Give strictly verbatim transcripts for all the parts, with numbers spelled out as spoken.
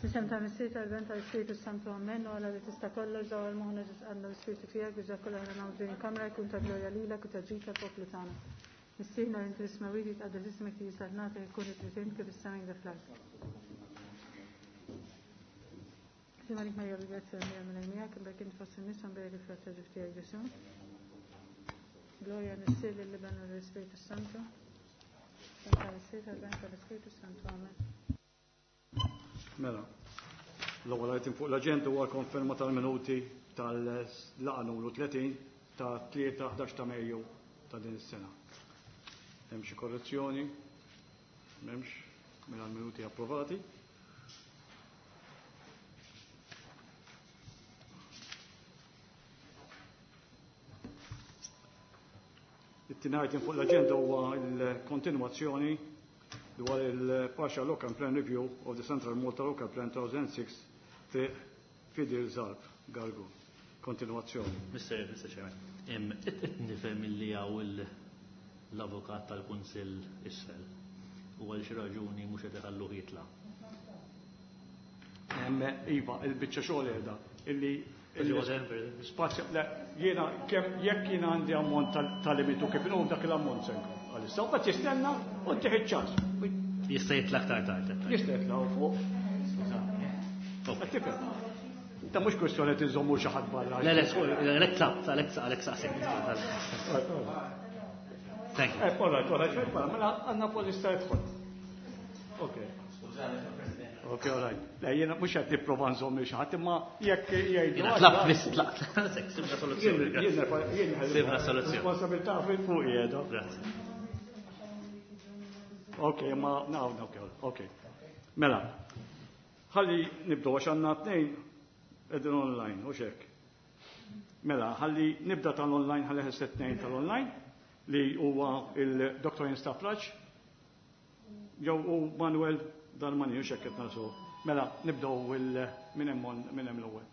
F'isem tal-Missier, tal-Iben, tal-Ispirtu Santu, Amen. U Alla li tista' kollox, dawwal moħħna ġo qalbna l-Ispirtu tiegħek biex dak kollha aħna nagħmlu f'din il-kamra jkun ta' glorja lilek u ta' ġid tal-poplu tagħna. Missierna li inti fis-smewwiet, jitqaddes ismek, tiġi saltnatek, ikun li trid int kif is-sema inkda fl-art. Sliem għalik Marija bil-grazzja l-Mulej Mulej miegħek, imberk int fost in-nisa, imberek il-frott ta' ġuf tiegħek Ġesù. Glorja lill-Missier, lill-Iben u lill-Ispirtu Santu. F'isem tal-Missier, tal-Iben, tal-Ispirtu Santu. Amen. Mela, l-ewwel item fuq l-aġenda huwa l-konferma tal-minuti tal-laqgħa numru tletin ta' tlieta ħdax ta' Mejju ta' din is-sena. Hemm xi korrezzjoni? M'hemmx, mela l-minuti approvati. It-tieni item fuq l-aġenda huwa l-kontinwazzjoni dwar il-Partial Local Plan Review of the Central Malta Local Plan two thousand six Triq Fidil Zarb, Gargu. Kontinuazzjoni. Mister Mister Chairman, qed nifhem illi hawn l-avukat tal-Kunsill isfel u għal xi raġuni mhux qed iħalluh jitla'. Iva, il-biċċa xogħol qiegħda illi spazju, le, jiena kemm jekk jiena għandi ammont tal-limitu kif inhu dak l-ammont se nkun. Għalissa, u jistenna u ttih ċans. Jista' jitla' aktar tard. Jista' jitla' fuq. Tifhem. Ta' mhux kwestjoni tinżommu xi ħadd barra. Le, le, għalhekk tlabt, għalhekk għalhekk saqsejt. Thank you. Eh, all right, all right, mela għandna polista jidħol. Ok. Ok, all right. Le, jiena mhux qed nipprova nżomm xi ħadd, imma jekk jgħidu. Jiena tlabt biss tlaqt. Sibna soluzzjoni. Jien Sibna soluzzjoni. Responsabilità fuq qiegħda. Grazzi. Ok, ma naw, ok, ok. Mela, ħalli nibdu għax għandna tnejn qegħdin online, u hekk. Mela, ħalli nibda tal-online, ħalli ħesset tnejn tal-online, li huwa il-Doktor Jens Tafraġ, jew u Manuel Darmani, u xekk qed nasu. Mela, nibdew il minn hemm minn hemm l-ewwel.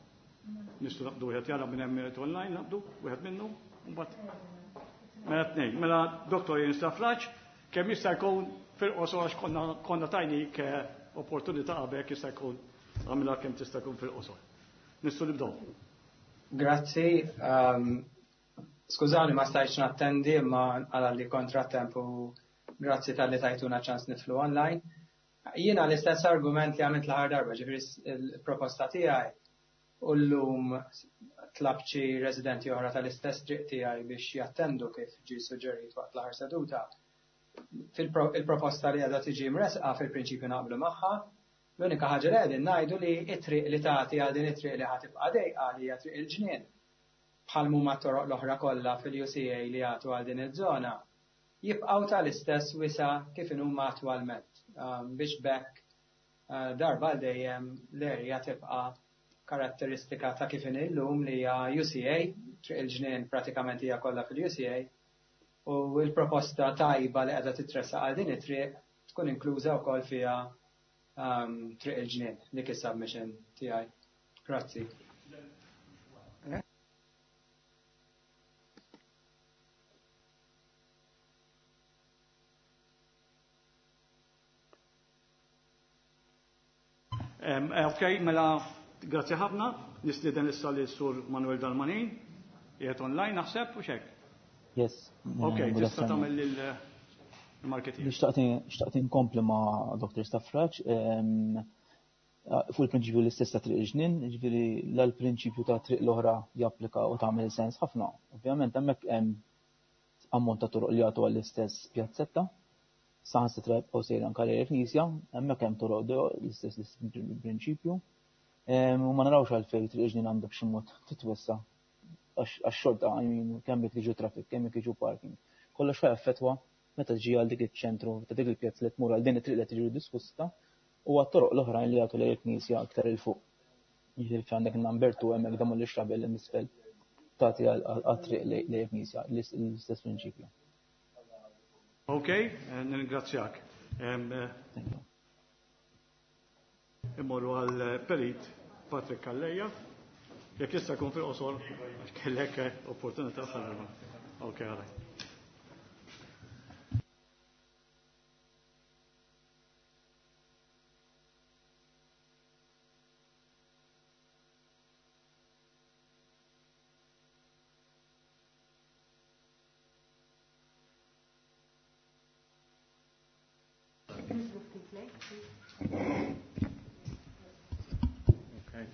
Nistgħu naqbdu wieħed jara minn hemm online, naqbdu wieħed minnu, u mbagħad mela tnejn. Mela Doktor Jens Tafraġ, kemm jista' jkun fil-qosor għax konna konna tajnik opportunità qabel, jista' jkun għamilha kemm tista' jkun fil-qosor. Nistgħu nibdew. Grazzi. Um, skużawni ma stajtx nattendi imma għal li kontratemp u grazzi talli tajtuna ċans nidħlu online. Jiena l-istess argument li għamilt l-aħħar darba, ġifieri il-proposta tiegħi u llum tlabt xi residenti oħra tal-istess triq tiegħi biex jattendu kif ġi suġġerit waqt l-aħħar seduta. Il-proposta li għadha tiġi mresqa fil-prinċipju naqblu magħha. L-unika ħaġa li qegħdin ngħidu li it-triq li tagħti għal din it-triq li ħa tibqa' dejqa li hija Triq il-Ġnien, bħal huma toroq l-oħra kollha fil-U C A li jagħtu għal din iż-żona, jibqgħu tal-istess wisa kif huma attwalment um, biex b'hekk uh, darba għal dejjem l-erja tibqa' karatteristika ta' kif illum li hija U C A, Triq il-Ġnien pratikament hija kollha fil-U C A, u l-proposta tajba li qiegħda titressaq għal din it-triq tkun inkluża wkoll fiha um, Triq il-Ġnien, dik is-submission tiegħi. Grazzi. Ok, mela, grazzi ħafna. Nistieden issa li sur Manuel Dalmanin. Qiegħed online naħseb u xek. Yes. Ok, tista' tagħmel il-marketing. Xtaqt inkompli ma' Doktor Stafraċ fuq il-prinċipju l-istess ta' Triq il-Ġnien, ġifieri l-prinċipju ta' triq l-oħra japplika u tagħmel sens ħafna. Ovvjament hemmhekk hemm ammont ta' toroq li jagħtu għall-istess pjazzetta, saħansitra jibqgħu sejra anke lejn il-knisja, hemmhekk hemm toroq l-istess prinċipju. U ma narawx għalfejn Triq il-Ġnien għandha b'xi mod titwessa għax xorta, I mean, kemm jekk jiġu traffic, kemm jekk jiġu parking. Kollox ħa jaffettwa meta ġi għal dik iċ-ċentru ta' dik il-pjazza li tmur għal din it-triq li tiġi diskussa u għat-toroq l-oħrajn li jagħtu lejn il-knisja aktar 'il fuq. Jiġifieri fejn għandek number two hemmhekk demolish rabel isfel tagħti għat-triq lejn il-knisja, l-istess prinċipju. Ok, nirringrazzjak. Immorru għal Perit Patrick Calleja. Jekk jista' jkun fil-qosor, kellek opportunità bħal. Ok, għalaj. Clay, please. Okay.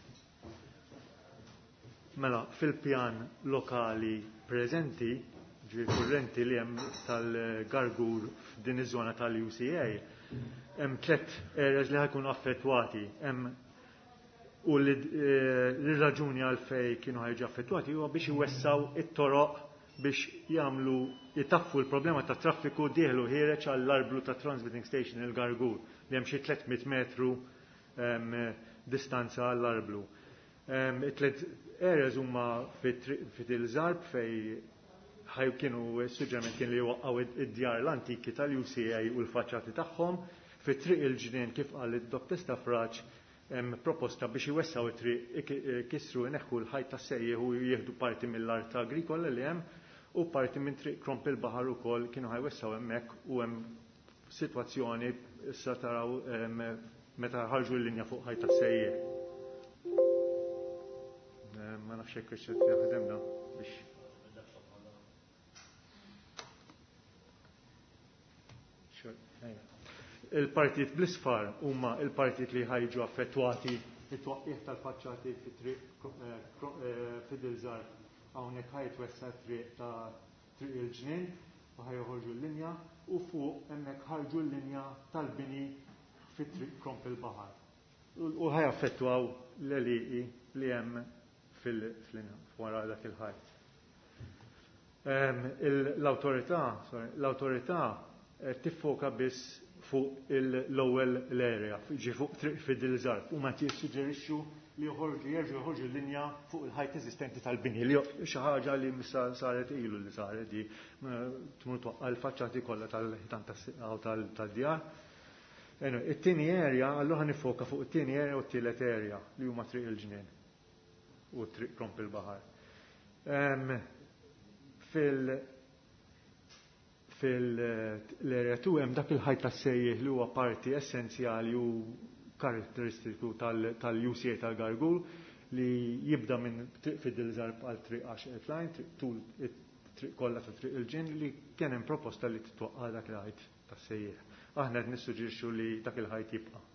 Mela, fil-pjan lokali preżenti, ġifieri kurrenti li hemm tal-Gargur f'din iż-żona tal-U C A, hemm tliet areas li ħajkunu affettwati. Hemm u li, eh, l-raġuni għalfej kienu ħajġu affettwati huwa biex iwessaw it-toroq biex jagħmlu jitaffu l-problema ta' traffiku dieħlu ħiereġ għall-arblu ta' transmitting station il-Gargur li hemm xi tliet mitt metru, ehm, distanza għall-arblu. Ehm, it-tliet areas huma fit-il-Żarb fej ħaj kienu suġġeriment kien li waqqgħu id-djar l-antiki tal-U C A u l-faċċati tagħhom. Fit-triq il-ġnien kif qal id-Dottor Stafrace hemm proposta biex iwessaw it-triq ikissru ineħħu l-ħajt tas-sejjeħ u jieħdu parti mill-art agrikola li hemm u parti minn triq Kromp il-Baħar ukoll kienu ħajwessaw hemmhekk u hemm sitwazzjoni issa taraw, ehm, meta ħarġu l-linja fuq ħajt tas-sejjeħ. Ehm, ma nafx hekk ix jaħdem da biex Il-partijiet bl-isfar huma il-partijiet li ħajġu affettwati fit-twaqqih tal-faċċati fit-triq, eh, eh, fid-Dilżar. Hawnhekk ħajtwessa triq ta' triq il-ġnien u ħajjoħorġu l-linja u fuq hemmhekk ħarġu l-linja tal-bini fit-triq Kromp il-Baħar. U ħajaffettwaw l-għelieqi li hemm fil-linja wara dak il-ħajt. Ehm, il-, l-awtorità, sorry, l-awtorità, eh, tiffoka biss fuq l-ewwel l-area, ġi fuq triq fid-Dilżar, u ma tissuġġerixxu li joħorġu, jerġgħu joħorġu l-linja fuq il-ħajt eżistenti tal-bini, li xi ħaġa li missa saret ilu li saret di, tmur twaqqa' l-faċċati kollha tal-ħitan tas-siqgħa tal-djar. Anyway, it-tieni area, allura ħa nifoka fuq it-tieni area u t-tielet area li huma triq il-ġnien u triq Kromp il-Baħar. Ehm, fil-, fil-area two hemm dak il-ħajt tas-sejjeħ li huwa parti essenzjali u karatteristiku tal-, tal-U C A tal-Gargur li jibda minn triq fid-Dilżar għal triq għax line, triq tul it-triq kollha ta' triq il-ġin li kien hemm proposta li titwaqqa' dak il-ħajt tas-sejjeħ. Aħna qed nissuġġerixxu li dak il-ħajt jibqa'.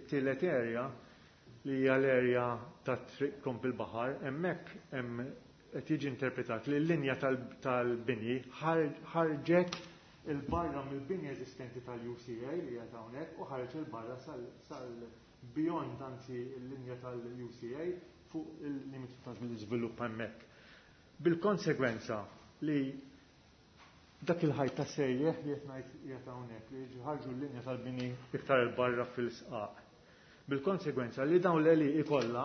It-tielet area li hija l-area ta' triq Kromp il-Baħar, hemmhekk hemm qed jiġi interpretat li l-linja tal-, tal-bini ħar-, ħarġet il-barra mill-bini eżistenti tal-U C A li qiegħed hawnhekk u ħareġ il-barra sal-, sal-beyond anzi l-linja tal-U C A fuq il-limitu ta' żvilupp hemmhekk. Bil-konsegwenza li dak il-ħajt ta' sejjeħ li qed ngħid qiegħed hawnhekk li jiġi ħarġu l-linja tal-bini iktar il-barra fil-sqaq. Bil-konsegwenza li dawn l-għelieqi kollha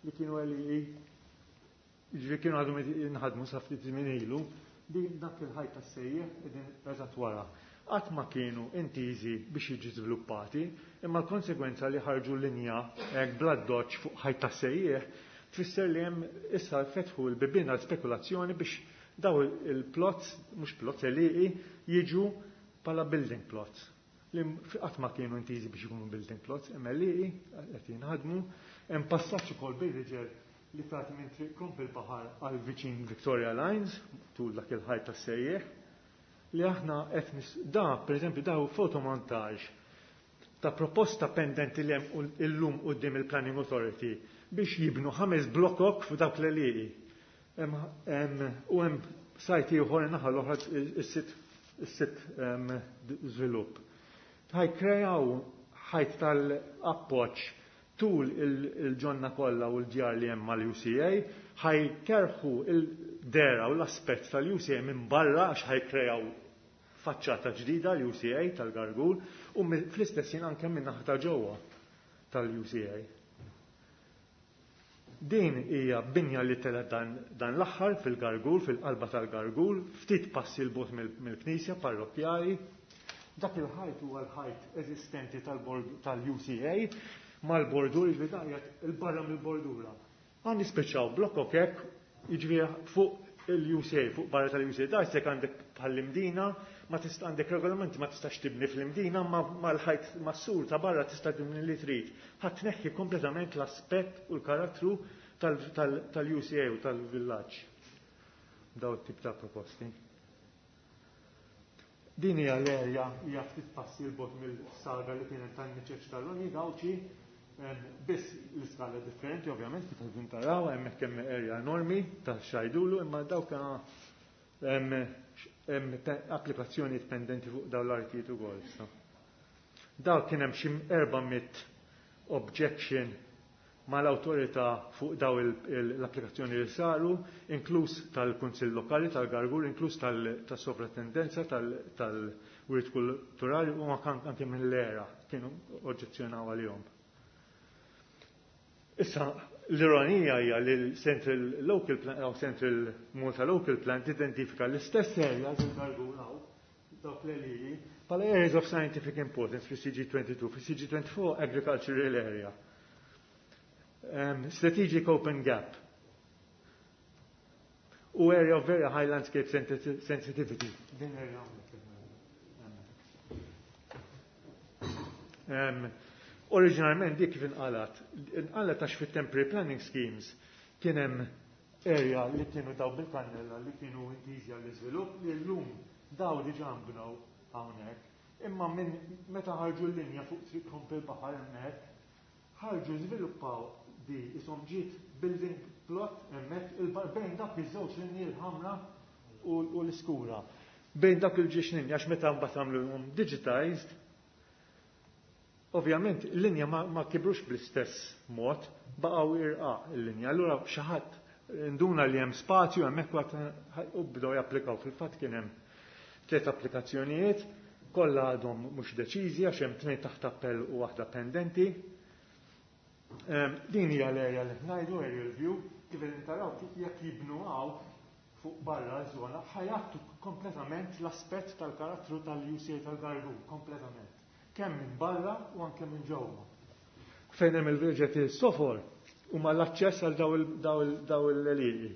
li kienu għelieqi ġifieri kienu għadhom jinħadmu sa ftit żmien ilu, din dak il-ħajt tas-sejjeħ qegħdin eżatt wara. Qatt ma kienu intiżi biex jiġu żviluppati, imma l-konsegwenza li ħarġu linja hekk bla doċċ fuq ħajt tas-sejjeħ tfisser li hemm issa fetħu l-bibien għal spekulazzjoni biex daw il-plots, mhux plots, għelieqi, jiġu bħala building plots. Li qatt ma kienu intiżi biex ikunu building plots, imma għelieqi qed jinħadmu, hemm passaġġ ukoll bir-riġel li tagħti minn triq Kromp il-Baħar għal viċin Victoria Lines, tul dak il-ħajt tas-sejjeħ, li aħna qed nis-, da, pereżempju, da hu fotomontaġġ ta' proposta pendenti li hemm u-, illum quddiem il-Planning Authority biex jibnu ħames blokok f'dawk l-għelieqi. Hemm, hemm, u hemm sajt ieħor naħa l-oħra is-sitt, is-sitt, ehm, żvilupp. Ħajkrejaw ħajt tal-appoġġ tul il-, il-ġonna kollha u l-djar li hemm mal-U C A, ħajkerħu il-dera u l-aspett tal-U C A minn barra għax ħajkrejaw faċċata ġdida l-U C A tal-Gargur u mi-, fl-istess ħin anke minn naħa ta' ġewwa tal-U C A. Din hija binja li telgħet dan, dan l-aħħar fil-Gargur, fil-qalba tal-Gargur, ftit passi l bogħod mill-, mill-knisja parrokkjali. Dak il-ħajt huwa l-ħajt eżistenti tal-bord-, tal-U C A mal-bordura, jiġifieri dan qiegħed il-barra mill-bordura. Għan nispeċaw blokok hekk, jiġifieri fuq il-U C A, fuq barra tal-U C A. Da jisek għandek bħall-Imdina, ma tista' għandek regolamenti ma tistax tibni fl-Imdina, ma, ma l-ħajt mas-sur ta' barra tista' tibni li trid. Ħadd tneħħi kompletament l-aspett u l-karattru tal-, tal-, tal-U C A u tal-villaġġ. Daw it-tip ta' proposti. Din hija l-erja hija ftit passi 'l bogħod mill-saga li kienet tan-niċeċ tal-Ronnie Gauci, biss l-iskala differenti ovvjament kif qegħdin taraw, hemmhekk hemm erja enormi ta' xajdulu, imma dawk hemm applikazzjoni pendenti fuq dawn l-artijiet ukoll issa. Daw kien hemm xi erba' mitt objection mal-awtorità fuq daw l-applikazzjoni li saru, inkluż tal-Kunsill Lokali tal-Gargur, inkluż tas-Sovratendenza tal-Wirt Kulturali u anke mill-era kienu oġġezzjonaw għalihom. Issa, l-ironija hija li l-Central Local Plan, jew Central Malta Local Plan tidentifika l-istess area il-Gargur hawn, dawk l-għelieqi, bħala areas of scientific importance fi C G twenty-two, fi C G twenty-four agricultural area. Um, strategic open gap u area of very high landscape sensitivity. Din area um, Oriġinarment dik kif inqalat, inqalat għax fit-temporary planning schemes kien hemm area li kienu daw bil-kannella li kienu intiżi għall-iżvilupp li llum daw diġà nbnew hawnhekk. Imma minn meta ħarġu l-linja fuq Triq Komp il-Baħar hemmhekk, ħarġu żviluppaw di isom ġiet building plot hemmhekk bejn dak iż-żewġ linji l-ħamra u l-iskura. Bejn dak il-ġiex linja għax meta mbagħad għamluhom digitized, ovvjament l-linja ma, ma kibrux bl-istess mod, baqgħu irqaq il-linja. Allura xi ħadd nduna li hemm spazju hemmhekk u bdew japplikaw. Fil-fatt kien hemm tliet applikazzjonijiet, kollha għadhom mhux deċiżi għax hemm tnejn taħt appell u waħda pendenti. Din hija l-area li ngħidu aerial view, kif qegħdin taraw jekk jibnu hawn fuq barra ż-żona ħajattu kompletament l-aspett tal-karattru tal-U C A tal-Gargur, kompletament. Kemm minn barra u anke minn ġewwa. Fejn hemm il-virġet sofor huma l-aċċess għal daw l-għelieqi.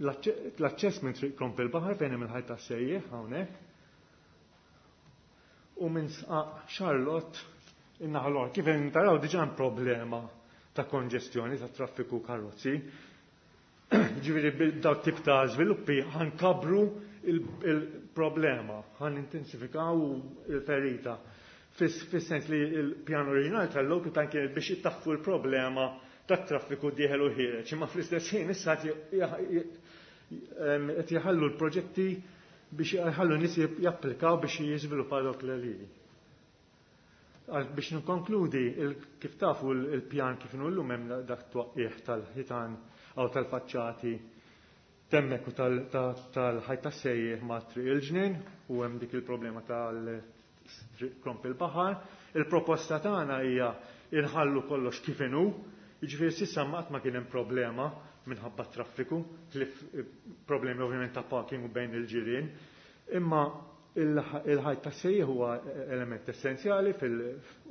L-aċċess minn Triq Kromp il-Baħar fejn hemm il-ħajt tas-sejjieħ hawnhekk. U minn Sqaq Charlotte in-naħa l-oħra. Kif qegħdin taraw diġà hemm problema ta' konġestjoni ta' traffiku karozzi. Ġifieri daw tip ta' żviluppi ħankabru il-problema, ħan intensifikaw il-ferita. Fis-sens li l-pjan oriġinali tal-local plan kien biex jittaffu l-problema tat traffiku dieħel u ħiereġ, imma fl-istess ħin issa qed jħallu l-proġetti biex jħallu n-nies japplikaw biex jiżviluppaw dawk l-għelieqi. Biex nkonkludi, kif tafu l-pjan kif inhu llum hemm dak twaqqih tal-ħitan għaw tal-faċċati temmek u tal-ħajt tas-sejjieħ ma' Triq il-Ġnien u hemm dik il-problema tal-Triq Kromp il-Baħar. Il-proposta tagħna hija inħallu kollox kif inhu, jiġifieri s'issa qatt ma kien hemm problema minħabba traffiku, ħlief problemi ovvjament ta' parking u bejn il-ġirien, imma il-ħajt tas-sejjieħ huwa element essenzjali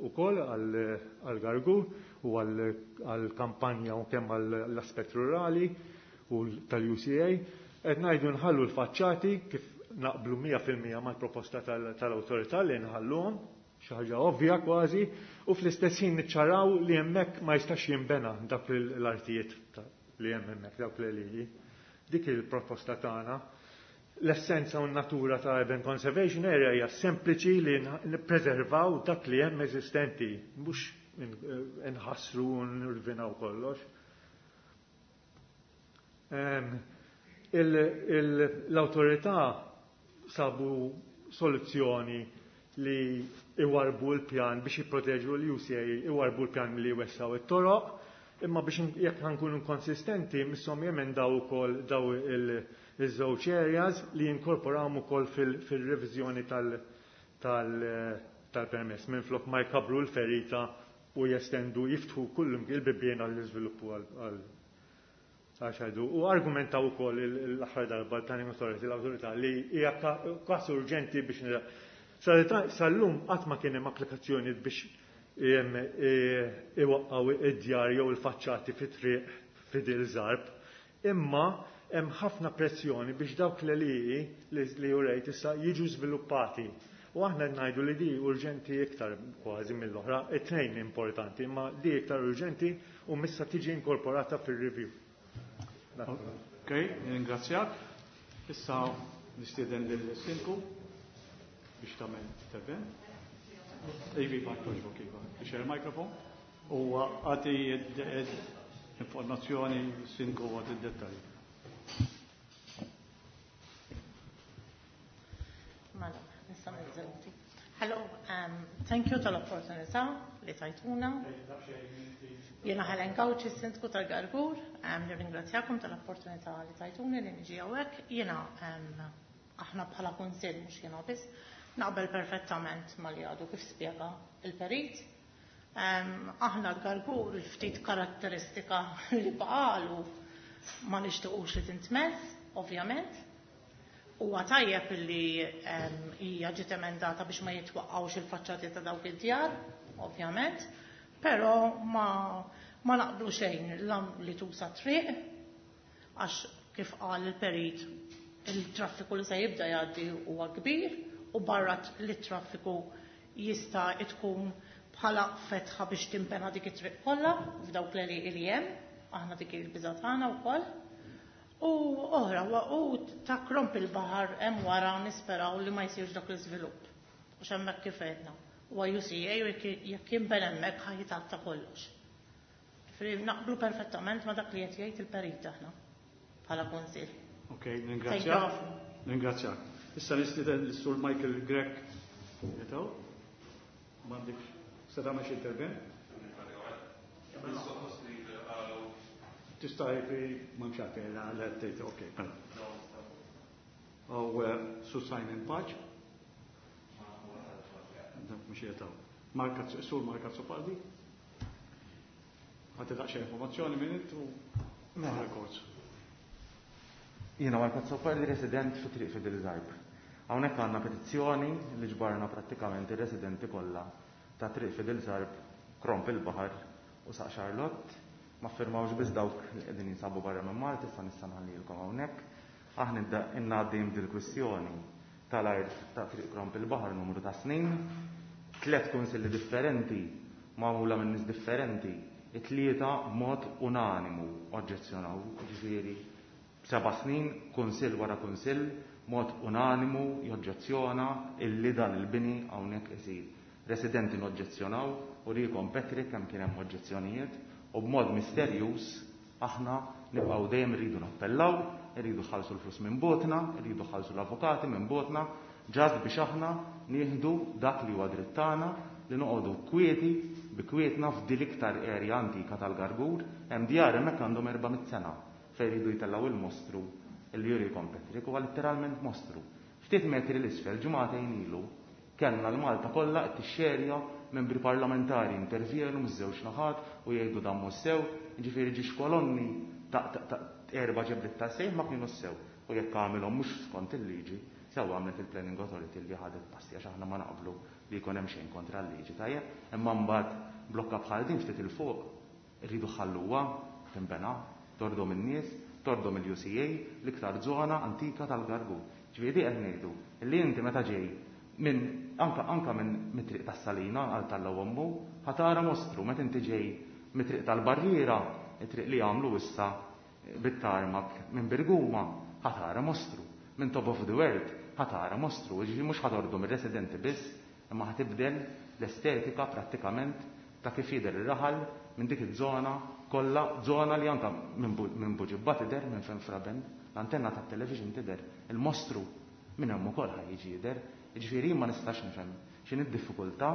ukoll għall-Gargur u għall-kampanja u kemm għall-aspett rurali u tal-U C A. Qed ngħidu nħallu l-faċċati kif naqblu mija fil-mija mal-proposta tal-awtorità li nħalluhom, xi ħaġa ovvja kważi, u fl-istess ħin niċċaraw li hemmhekk ma jistax jinbena dak l-artijiet li hemm hemmhekk dawk l-għelieqi. Dik il-proposta tagħna. L-essenza u n-natura ta' Urban Conservation Area hija sempliċi li nippreservaw dak li hemm eżistenti, mhux nħassru u nirvinaw kollox. L-awtorità sabu soluzzjoni li iwarbu l-pjan biex jipproteġu l-U C A, iwarbu l-pjan li jwessaw it-toroq, imma biex jekk ħankunu konsistenti misshom jemendaw ukoll daw il-żewġ areas li jinkorporawhom ukoll fil-reviżjoni tal-permess minflok ma jkabru l-ferita u jestendu jiftħu kullum il-bibien għall-iżviluppu għal għaxħajdu. U argumentaw ukoll l-aħħar darba l-Planning Authority, l-awtorità li hija każ urġenti biex nira. Sal-lum qatt ma kien hemm applikazzjoni biex iwaqqgħu id-djar jew il-faċċati fit-triq Fidil Zarb, imma hemm ħafna pressjoni biex dawk l-għelieqi li urejt issa jiġu żviluppati. U aħna ngħidu li di urġenti iktar kważi mill-oħra, it-tnejn importanti, imma di iktar urġenti u missa tiġi inkorporata fir-review. Ok, ringrazzjak. Issa Nistieden lill-Sindku biex tagħmel intervent. Ivi, ma toġbok, iva. Biex il-mikrofon. U għati informazzjoni Sindku għati d-dettalji. Mela, nista' nizzelti. Hello, um, thank you tal-opportunità li tajtuna. Jiena Helen Gauci, Sindku tal-Gargur, um, nirringrazzjakom tal-opportunità li tajtuni li niġi hawnhekk. Jiena um, aħna bħala kunsill mhux jiena biss, naqbel perfettament ma li għadu kif spjega il-perit. Um, aħna l-Gargur il-ftit karatteristika li baqalu ma nixtiequx li tintmess, ovvjament. Huwa tajjeb li hija ġiet emendata biex ma jitwaqqgħux il-faċċati ta' dawk id-djar, ovvjament, però ma, ma naqblu xejn li tusa triq, għax kif qal il-perit il-traffiku li se jibda jgħaddi huwa kbir u barra li traffiku jista' tkun bħala fetħa biex timpena dik it-triq kollha f'dawk l-għelieqi li hemm, aħna dik il-biża' tagħna wkoll. U oħra, u ta' Kromp il-baħar hemm wara nisperaw li ma jsirx dak l-iżvilupp. Għax hemmhekk kif għedna. Huwa U C A u jekk jinben hemmhekk ħa jitgħatta kollox. Ġifieri naqblu perfettament ma dak li qed jgħid il-perit aħna bħala kunsill. Ok, ringrazzjak. Ringrazzjak. Issa nistieden lis-Sur Michael Grech. Jetaw? M'għandekx se tagħmel xi intervent? Tista' jfi ma mx għalfejn, la, la, tgħid, ok, mela. Aw, Sur Simon Pace. Dak mhux jetaw. Mark, Sur Mark Azzopardi. Ħadd daqsxejn informazzjoni minn int u Mela. records. Jiena Mark Azzopardi, resident fi Triq Fidel Zarb. Hawnhekk għandna petizzjoni li ġbarna prattikament ir-residenti kollha ta' Triq Fidel Zarb, Kromp il-Baħar u Saq Charlotte. Ma firmawx biss dawk li qegħdin jinsabu barra minn Malta, issa nista' nħallilkom hawnhekk. Aħna inna għaddejjem dil-kwistjoni tal-art ta' Triq Kromp il-Baħar numru ta' snin, tliet kunsilli differenti magħmula minn nies differenti, it-tlieta b'mod unanimu oġġezzjonaw, ġifieri seba' snin, kunsill wara kunsill, mod unanimu joġġezzjona illi dan il-bini hawnhekk isir. Residenti noġġezzjonaw u rikom Patrick kemm kien hemm oġġezzjonijiet u b'mod misterjuż aħna nibqgħu dejjem irridu nappellaw, irridu ħallsu l-flus minn botna, irridu ħallsu l-avukati minn botna, ġast biex aħna nieħdu dak li huwa dritt tagħna li noqogħdu kwieti bi kwietna f'dil iktar area antika tal-Gargur, hemm djar hemmhekk għandhom erba' mitt sena fejn iridu jtellgħu il-mostru li jurikom Patrick, huwa letteralment mostru. Ftit metri l-isfel ġimagħtejn ilu kellna l-Malta kollha qed tixxerja membri parlamentari intervjenu miż-żewġ naħat u jgħidu dan mhux sew, jiġifieri ġiex kolonni ta', ta, ta' erba' ġebliet ta' sejħ ma kienu sew. U jekk għamilhom mhux skont il-liġi, sew għamlet il-Planning Authority li ħadet passi għax aħna ma naqblu li jkun hemm xejn kontra l-liġi, tajjeb, imma mbagħad blokka bħal din ftit il fuq irridu ħalluha tinbena, tordom in-nies, tordom il-U C A, l-iktar żona antika tal-Gargur. Ġifieri qed ngħidu li inti meta ġej minn anka, anka minn mit-triq tas-Salina għal tal-Ommu, ħatara mostru meta inti ġej mit-triq tal-Barriera, it-triq li għamlu issa bit-tarmak minn Birguma, ħatara mostru. Minn Top of the World, ħatara mostru. Ġifieri mhux ħatordu mir-residenti biss, imma ħatibdel l-estetika prattikament ta' kif jidher ir-raħal minn dik iż-żona kollha, żona li anka minn Bu-, minn Buġibba tidher, minn fejn Fraben, l-antenna tat-television tidher, il-mostru minn hemm ukoll ħa jiġi jidher. Ġifieri ma nistax nifhem x'inhi d-diffikultà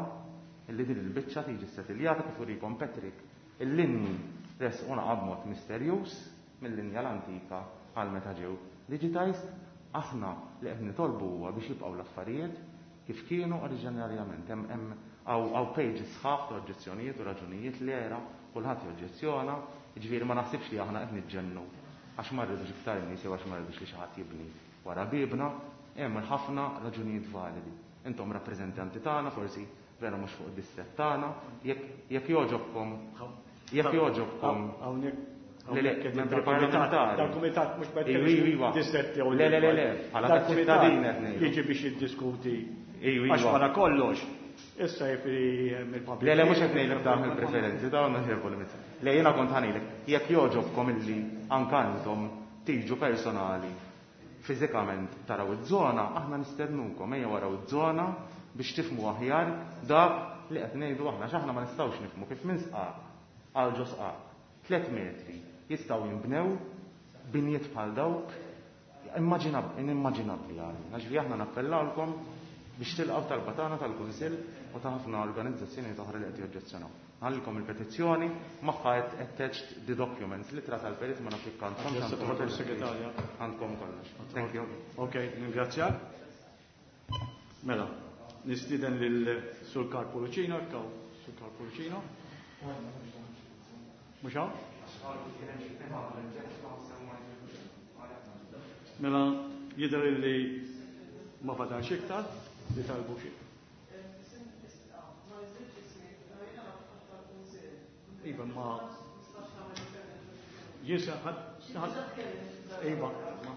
illi din il-biċċa tiġi ssettiljata kif urikom Patrick. Il-linji resquna b'mod misterjuż mill-linja l-antika għal meta ġew digitized, aħna li qed nitolbu huwa biex jibqgħu l-affarijiet kif kienu oriġinarjament. Hemm, hemm hawn, hawn pages sħaħ ta' oġġezzjonijiet u raġunijiet li era kulħadd joġġezzjona, jiġifieri ma naħsibx li aħna qed niġġennu għax ma rridux iktar nies jew għax ma rridux li xi ħadd jibni wara bibna, hemm ħafna raġunijiet validi. Intom rappreżentanti tagħna, forsi vera mhux fuq id-distrett tagħna, jekk, jekk jogħġobkom, jekk jogħġobkom. Hawnhekk Le, le, hawnhekk membri dal-kumitat, parlamentari. dal-kumitat mhux bad Iwi, iwi, iwa. distrett jew Le, le, le, le, bħala Dal-kumitat ċittadin qed ngħidu. jiġi biex jiddiskuti. Iwi, Għax iwa. wara kollox, issa jiġifieri mill-pubblic. Le, le, mhux qed ngħidlek dawn il-preferenzi, dawn mhux qed ngħidlek. Le, jiena kont ħanilek, jekk jogħġobkom illi anke intom tiġu personali fiżikament taraw iż-żona, aħna nistednukom ejja waraw iż-żona biex tifhmu aħjar dak li qed ngħidu aħna, x'aħna ma nistgħux nifhmu kif minn sqaq għal ġo sqaq tliet metri jistgħu jinbnew binjiet bħal dawk inimmaġinabbli għalina. Ġifieri aħna nappellawlkom biex tilqgħu talba tagħna tal-Kunsill u ta' ħafna organizzazzjonijiet oħra li qed joġġezzjonaw. Ħallikom il-petizzjoni magħha attached the documents, l-ittra tal-perit ma nafx jekk għandkom. Segretarja. Għandkom kollox. Thank you. Ok, ningrazzjak. Mela, nistieden lil Sur Karl Pullicino, kaw Sur Karl Pullicino. Mhux hawn? Mela, jidher li ma fadalx iktar li talbu xi. Iva, ma jisa ħadd iva, ma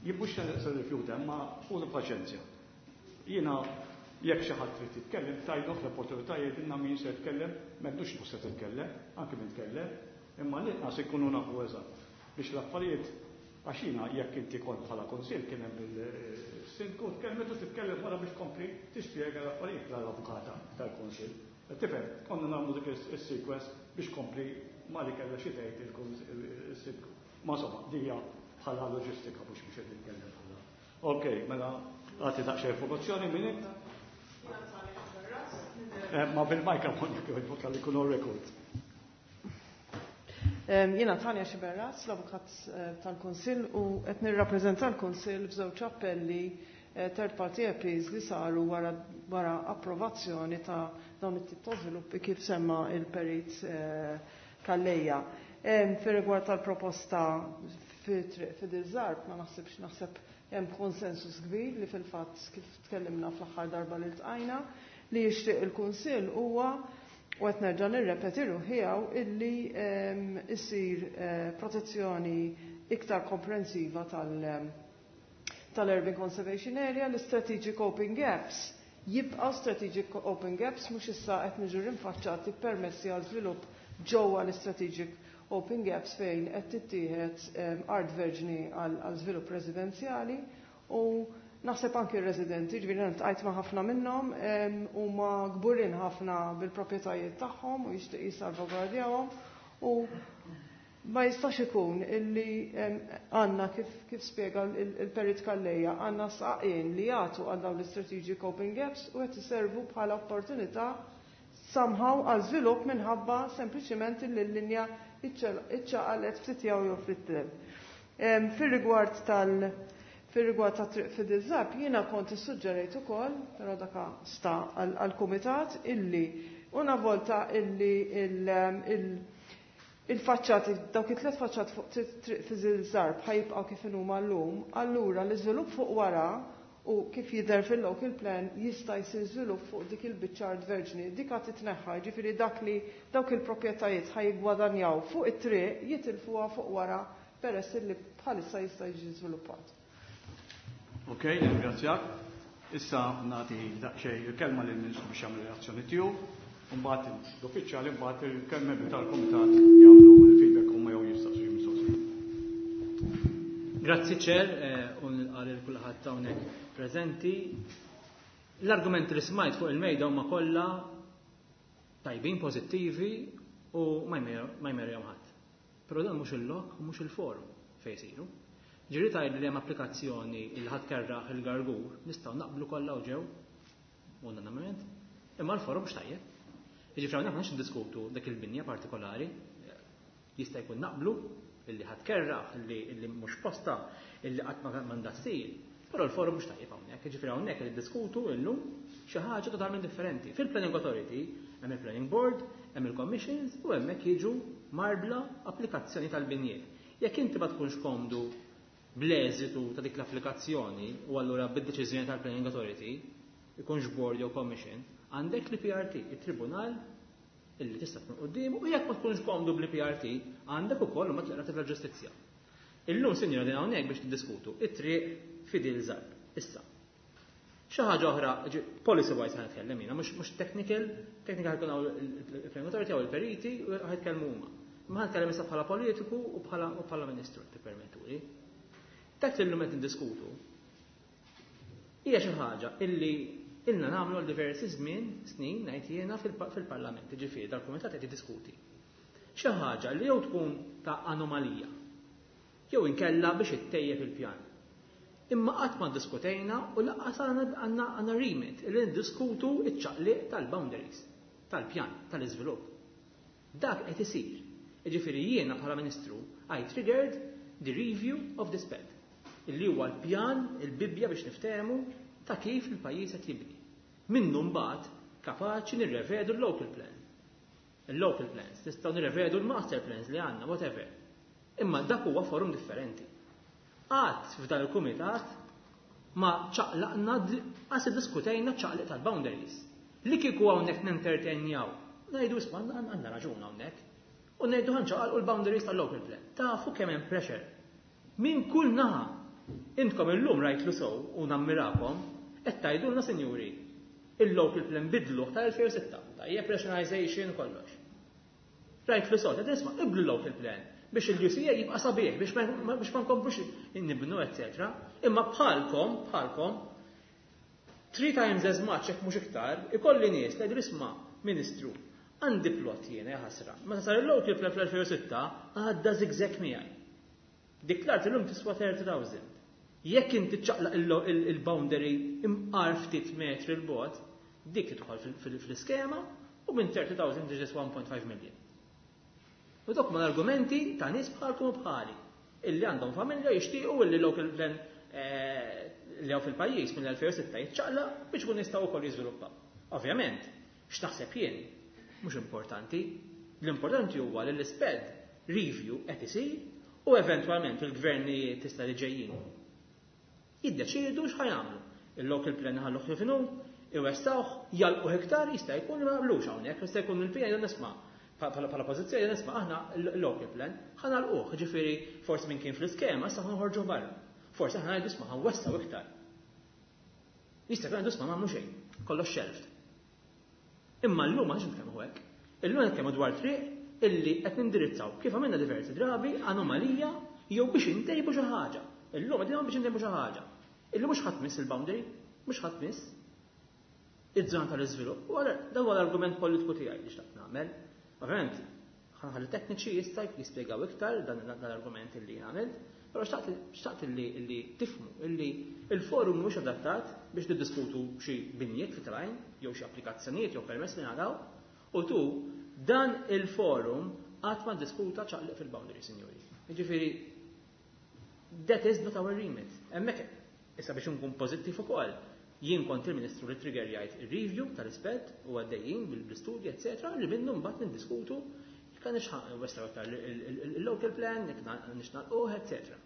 jibbux se rifjuta, ma ħudu paċenzja. Jiena jekk xi ħadd trid titkellem, tajdu l-opportunità jgħidilna min se jitkellem, m'għandux mhux se titkellem, anke min tkellem, imma l-inqas ikunu nafu eżatt biex l-affarijiet għax jiena jekk inti kont bħala kunsill kien hemm il-sindku tkellmet u titkellem wara biex kompli tispjega l-affarijiet l-avukata tal-kunsill. Tifhem, konna nagħmlu dik is-sequence biex kompli ma li kellha xi tgħid il-sindku. Ma insomma, dija bħala loġistika mhux biex qed nitkellem bħala. Ok, mela għati daqsxejn informazzjoni minn int. Ma bil-mikrofon jekk jogħġbok għalli jkunu record. Jiena Tanja Sciberras, l-avukat tal-Kunsill, u qed nirrappreżenta l-Kunsill f'żewġ appelli third party appeals li saru wara wara approvazzjoni ta' dawn it-tip ta' żviluppi kif semma il-perit Calleja. Fir-rigward tal-proposta fi triq Fidel Zarb, ma naħsibx naħseb hemm konsensus kbir li fil-fatt kif tkellimna fl-aħħar darba li ltqajna li jixtieq il-Kunsill huwa, u qed nerġa' nirrepeti ruħi hawn, illi issir protezzjoni iktar komprensiva tal- tal-Urban Conservation Area, l-Strategic Open Gaps jibqgħu Strategic Open Gaps, mhux issa qed niġu rinfaċċati permessi għal żvilupp ġewwa l-Strategic Open Gaps fejn qed tittieħed art verġni għal żvilupp residenzjali, u naħseb anki r-residenti, ġifieri ltqajt ma' ħafna minnhom, huma kburin ħafna bil-proprjetajiet tagħhom u jixtieq jissalvagwardjahom, u ma jistax ikun illi għandna kif, kif spjega il-perit Calleja, għandna saqien li jagħtu għal dawn l-Strategic Open Gaps u qed iservu bħala opportunità somehow għal żvilupp minħabba sempliċiment li l-linja iċċaqalet ftit jew jew ftit. Fir-rigward tal Fir-rigward ta' triq Fidel Zarb, jiena kont issuġġerejt ukoll, però daka sta għall-kumitat, illi una volta illi il-faċċati, dawk it-tliet faċċati fuq triq Fidel Zarb ħajibqgħu kif inhuma llum, allura l-iżvilupp fuq wara u kif jidher fil-local plan jista' jsir żvilupp fuq dik il-biċċa art verġni, dik qed titneħħa, jiġifieri dak li dawk il-proprjetajiet ħajgwadanjaw fuq it-triq jitilfuha fuq wara peress illi bħalissa jista' jiġi żviluppat. Ok, ringrazzjak. Issa nagħti daqsxejn il-kelma lil Ministru biex jagħmel reazzjoni tiegħu, u mbagħad l-uffiċjali mbagħad il-membri tal-kumitat jagħmlu l-feedback huma jew jistaqsu xi mistoqsijiet. Grazzi ċer, u nilqa' lil kulħadd hawnhekk preżenti. L-argumenti li smajt fuq il-mejda huma kollha tajbin, pożittivi u ma jmerjhom ħadd. Però dan mhux il-lok u mhux il-forum fejn isiru. Ġiri tajt li hemm applikazzjoni li ħadd kerraħ il-Gargur, nistgħu naqblu kollha u ġew, unanimament, imma l-forum mhux tajjeb. Jiġifieri hawnhekk m'għandx niddiskutu dik il-binja partikolari, jista' jkun naqblu illi ħadd kerraħ, illi mhux posta, illi qatt ma m'għandha ssir, però l-forum mhux tajjeb hawnhekk. Jiġifieri hawnhekk qed niddiskutu llum xi ħaġa totalment differenti. Fil-Planning Authority hemm il-Planning Board, hemm il-Commissions u hemmhekk jiġu marbla applikazzjoni tal-binjiet. Jekk inti ma tkunx komdu bl-eżitu ta' dik l-applikazzjoni u allura bid-deċiżjoni tal-Planning Authority, ikunx board jew commission, għandek l-I P R T, il-tribunal illi tista' tkun quddiem, u jekk ma tkunx komdu bl-I P R T, għandek ukoll huma t-Qorti tal-Ġustizzja. Illum sinjora din hawnhekk biex tiddiskutu it-triq Fidel Zarb. Issa. Xi ħaġa oħra, policy wise ħa nitkellem jiena, mhux technical, technical ħajkun hawn il-Planning Authority jew il-periti u ħajtkellmu huma. Ma ħa nitkellem issa bħala politiku u bħala u bħala ministru, tippermettuli. Dak li llum qed niddiskutu hija xi ħaġa illi ilna nagħmlu għal diversi żmien, snin, ngħid jiena fil-Parlament, jiġifieri dal-kumitat qed jiddiskuti. Xi ħaġa li jew tkun ta' anomalija, jew inkella biex ittejjeb il-pjan. Imma qatt ma ddiskutejna u lanqas għandna għandna remit li niddiskutu ċ-ċaqliq tal-boundaries, tal-pjan, tal-iżvilupp. Dak qed isir. Jiġifieri jiena bħala Ministru I triggered the review of this P E D, illi huwa l-pjan, il-Bibbja biex niftehmu ta' kif il-pajjiż qed jibni. Minnu mbagħad kapaċi nirrevedu l-local plan. Il-local plans, nistgħu nirrevedu l-master plans li għandna, whatever. Imma dak huwa forum differenti. Qatt f'dan il-kumitat ma ċaqlaqna, qas iddiskutejna ċaqliq tal-boundaries. Li kieku hawnhekk nentertenjaw, ngħidu isma' għandna raġun hawnhekk. U ngħidu ħanċaqalqu l-boundaries tal-local plan. Tafu kemm hemm pressure. Min kull naħa. Intkom illum rajtlu sew u nammirakom, qed tgħidulna sinjuri, il-local plan bidluh tal-elfejn u sitta, tajjeb rationalization kollox. Rajtlu sew, qed nisma' iblu l-local plan biex il-U C A jibqa' sabiħ, biex ma, biex ma nkomplux nibnu, eccetera. Imma bħalkom, bħalkom, three times as much jekk mhux iktar, ikolli nies li jgħidu isma' Ministru, għandi plot jiena ħasra. Meta sar il-local plan fl-elfejn u sitta, għadda zigzag miegħi. Dik l-art illum tiswa thirty thousand. Jekk inti ċaqlaq il-boundary imqar ftit metri l-bogħod, dik tidħol fil-iskema u minn thirty thousand tiġi one point five million. U dok ma l-argumenti ta' nies bħalkom u bħali illi għandhom familja jixtiequ illi local plan, eh, li hawn fil-pajjiż mill-elfejn u sitta jiċċaqlaq biex ikun jistgħu wkoll jiżviluppaw. Ovvjament, x'taħseb jien mhux importanti. L-importanti huwa li l-isped review qed isir u eventwalment il-gvernijiet tista' li ġejjin jiddeċiedu x'ħajamlu. Il-local plan ħalluh kif inhu, iwessawh, jalqu iktar, jista' jkun li ma naqblux hawnhekk, jista' jkun il-P N nisma' bħala pożizzjoni nisma' aħna l-local plan ħanalquh, ġifieri forsi minn kien fl-iskema issa ħanħorġu barra. Forsi aħna ngħidu isma' ħanwessaw iktar. Jista' jkun isma' m'għamlu xejn, kollox shelved. Imma llum ma nix nitkellmu hekk. Illum nitkellmu dwar triq illi qed nindirizzaw kif għamilna diversi drabi anomalija jew biex intejbu xi ħaġa. Illum qegħdin biex intejbu xi ħaġa. Illum mhux ħadd miss il-boundary, mhux ħadd miss iż-żona tal-iżvilupp. U għal dan huwa l-argument politiku tiegħi li xtaqt nagħmel. Ovvjament, ħalli tekniċi jista' jispjegaw iktar dan, dan l-argument li jien għamilt, però xtaqt, xtaqt illi, illi tifhmu illi il-forum mhux adattat biex niddiskutu xi binjiet fi trajn jew xi applikazzjonijiet jew permess li ngħadaw, u tu dan il-forum qatt ma ddiskuta ċaqliq fil-boundary, sinjuri. Jiġifieri, that is not our remit. Hemmhekk issa biex nkun pożittiv ukoll, jien kont il-Ministru li trigger jgħid ir-review tal-ispett u għaddejjin bil-istudji, eccetera, li minnu mbagħad niddiskutu jekk għandix ħa wessaw iktar il-local plan, jekk nix nagħlquh, eccetera.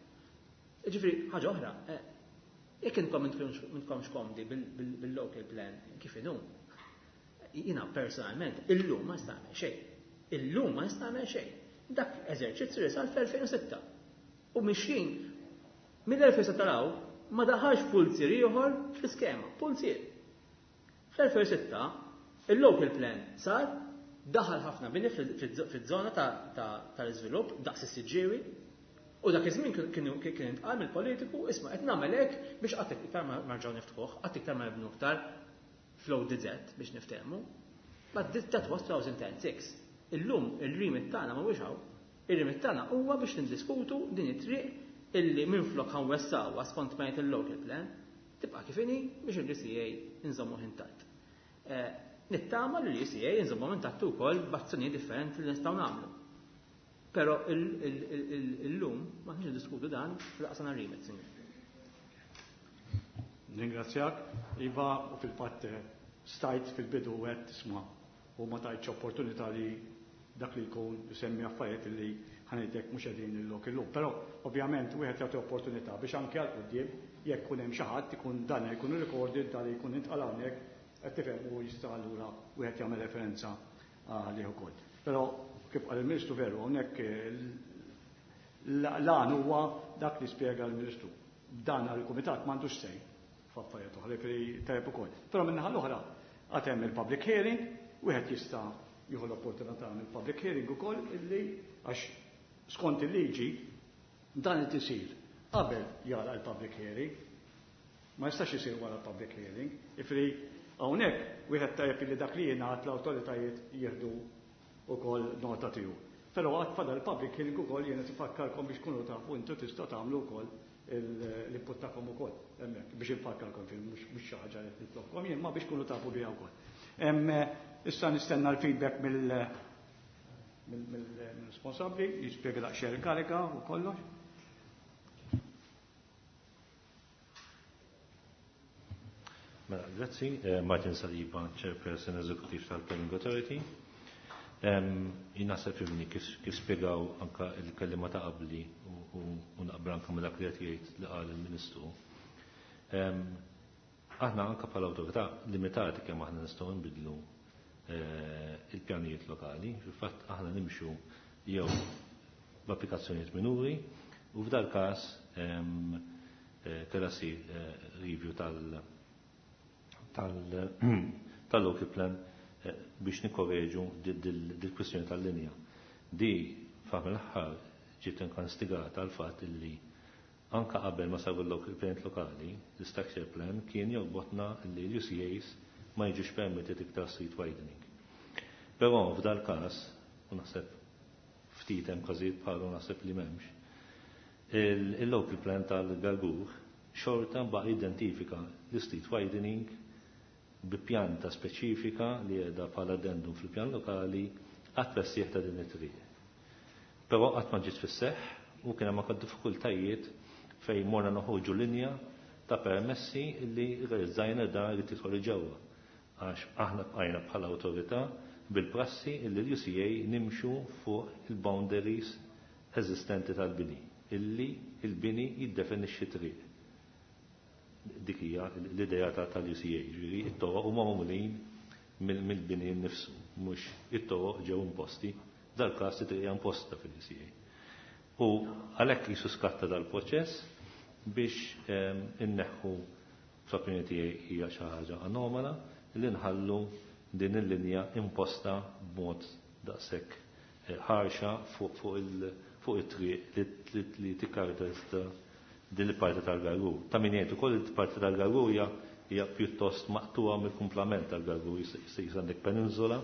Jiġifieri, ħaġa oħra, eh, jekk intom m'intkomx komdi bil-local plan kif inhu, jiena personalment illum ma nista' nagħmel xejn. Illum ma nista' nagħmel xejn. Dak eżerċizzju li sar fl-elfejn u sitta. U mixjin mill-elfejn u sitta law ma daħalx pulzier ieħor fl-iskema, pulzier. Fl-elfejn u sitta il-local plan sar, daħal ħafna bini fil-żona tal-iżvilupp daqs is-Siġġiewi, u dak iż-żmien kienu kien intqal mill-politiku, isma' qed nagħmel hekk biex qatt iktar ma nerġgħu niftħuh, qatt iktar ma nibnu iktar flow D Z biex niftehmu. But that was two thousand and six. Illum il-remit tagħna mhuwiex hawn. Ir-remit tagħna huwa biex nindiskutu din it-triq illi minflok ħanwessawha skont ma jgħid il-local plan, tibqa' kif inhi biex il-U C A nżommu intatt. Eh, nittama li l-U C A nżommu intatt ukoll b'azzjonijiet differenti li nistgħu nagħmlu. Però illum ma nix niddiskutu dan fil-qasam remit, sinjur. Ningrazzjak, Iva, u fil-fatt stajt fil-bidu għedt tisma' u ma tajtx opportunità li dak li jkun isemmi affarijiet li ħanejtek mhux qegħdin illok illum. Però ovvjament wieħed jagħti opportunità biex anke għal quddiem jekk ikun hemm xi ħadd ikun dan jkun recorded, dan jkun intqal hawnhekk, qed tifhem u jista' allura wieħed jagħmel referenza għalih ukoll. Però kif qal il-Ministru veru hawnhekk l-għan huwa dak li spjega l-Ministru. Dan għall-Kumitat m'għandux sej f'affarijiet oħra li tajjeb ukoll. Però min-naħa l-oħra għad hemm il-public hearing, wieħed jista' jieħu l-opportunità mill-public hearing ukoll illi għax skont il-liġi dan qed isir qabel jara l-public hearing. Ma jistax isir wara l-public hearing. Ifri hawnhekk wieħed tajjeb li dak li jingħad l-awtoritajiet jieħdu wkoll nota tiegħu. Però għad fadal public hearing ukoll jiena tifakkarkom biex kunu tafu intu tistgħu tagħmlu wkoll l-input tagħkom ukoll hemmhekk biex infakkarkom fil mhux xi ħaġa li nitlobkom jien ma biex kunu tafu biha wkoll. Issa nistenna l-feedback mill mill-responsabbli jispjega daqsxejn il-karika u kollox. Mela, grazzi. Martin Saliba, Chairperson Executive tal-Planning Authority. Jien naħseb fimni kif spjegaw anka il-kellima ta' qabli u naqbel anka ma' dak li qed jgħid li qal il-Ministru. Aħna anka bħala awtorità limitati kemm aħna nistgħu nbidlu il-pjanijiet lokali. Fil-fatt aħna nimxu jew b'applikazzjonijiet minuri u f'dal każ kellha ssir review tal tal-local plan biex nikkorreġu dil-kwistjoni tal-linja. Di f'aħ l-aħħar ġiet inkastigata għal fatt illi anka qabel ma saru l-local plan lokali, l-structure plan kien jorbotna li l-U C As ma jiġux permitted iktar street widening. Però f'dal każ, u naħseb ftit hemm każijiet bħalu naħseb li m'hemmx, il-local plan tal-Gargur xorta baqa' identifika l-street widening bi pjanta speċifika li qiegħda bħala addendum fil-pjan lokali għat-twessiegħ ta' din it-triq. Però qatt ma ġiet fis-seħħ u kien hemm anke diffikultajiet fejn morna noħorġu linja ta' permessi li realizzajna dan li tidħol ġewwa. Għax aħna bqajna bħala awtorità bil-prassi li l-U C A nimxu fuq il-boundaries eżistenti tal-bini, illi il-bini jiddefinixxi triq. Dik hija l-idea tal-U C A, ġifieri it-toroq huma magħmulin mill-bini nnifsu, mhux it-toroq ġew imposti, dal-każ li hija imposta fil-U C A. U għalhekk jisu skatta dal-proċess biex inneħħu fl-opinjoni tiegħi hija xi ħaġa anomala li nħallu din il-linja imposta b'mod daqshekk ħarxa fuq it-triq li tikkaratterizza din il-parti tal-Gargur. Ta' min jgħid ukoll il-parti tal-Gargur hija hija pjuttost maqtuha mill-kumplament tal-Gargur, jista' għandek peninsula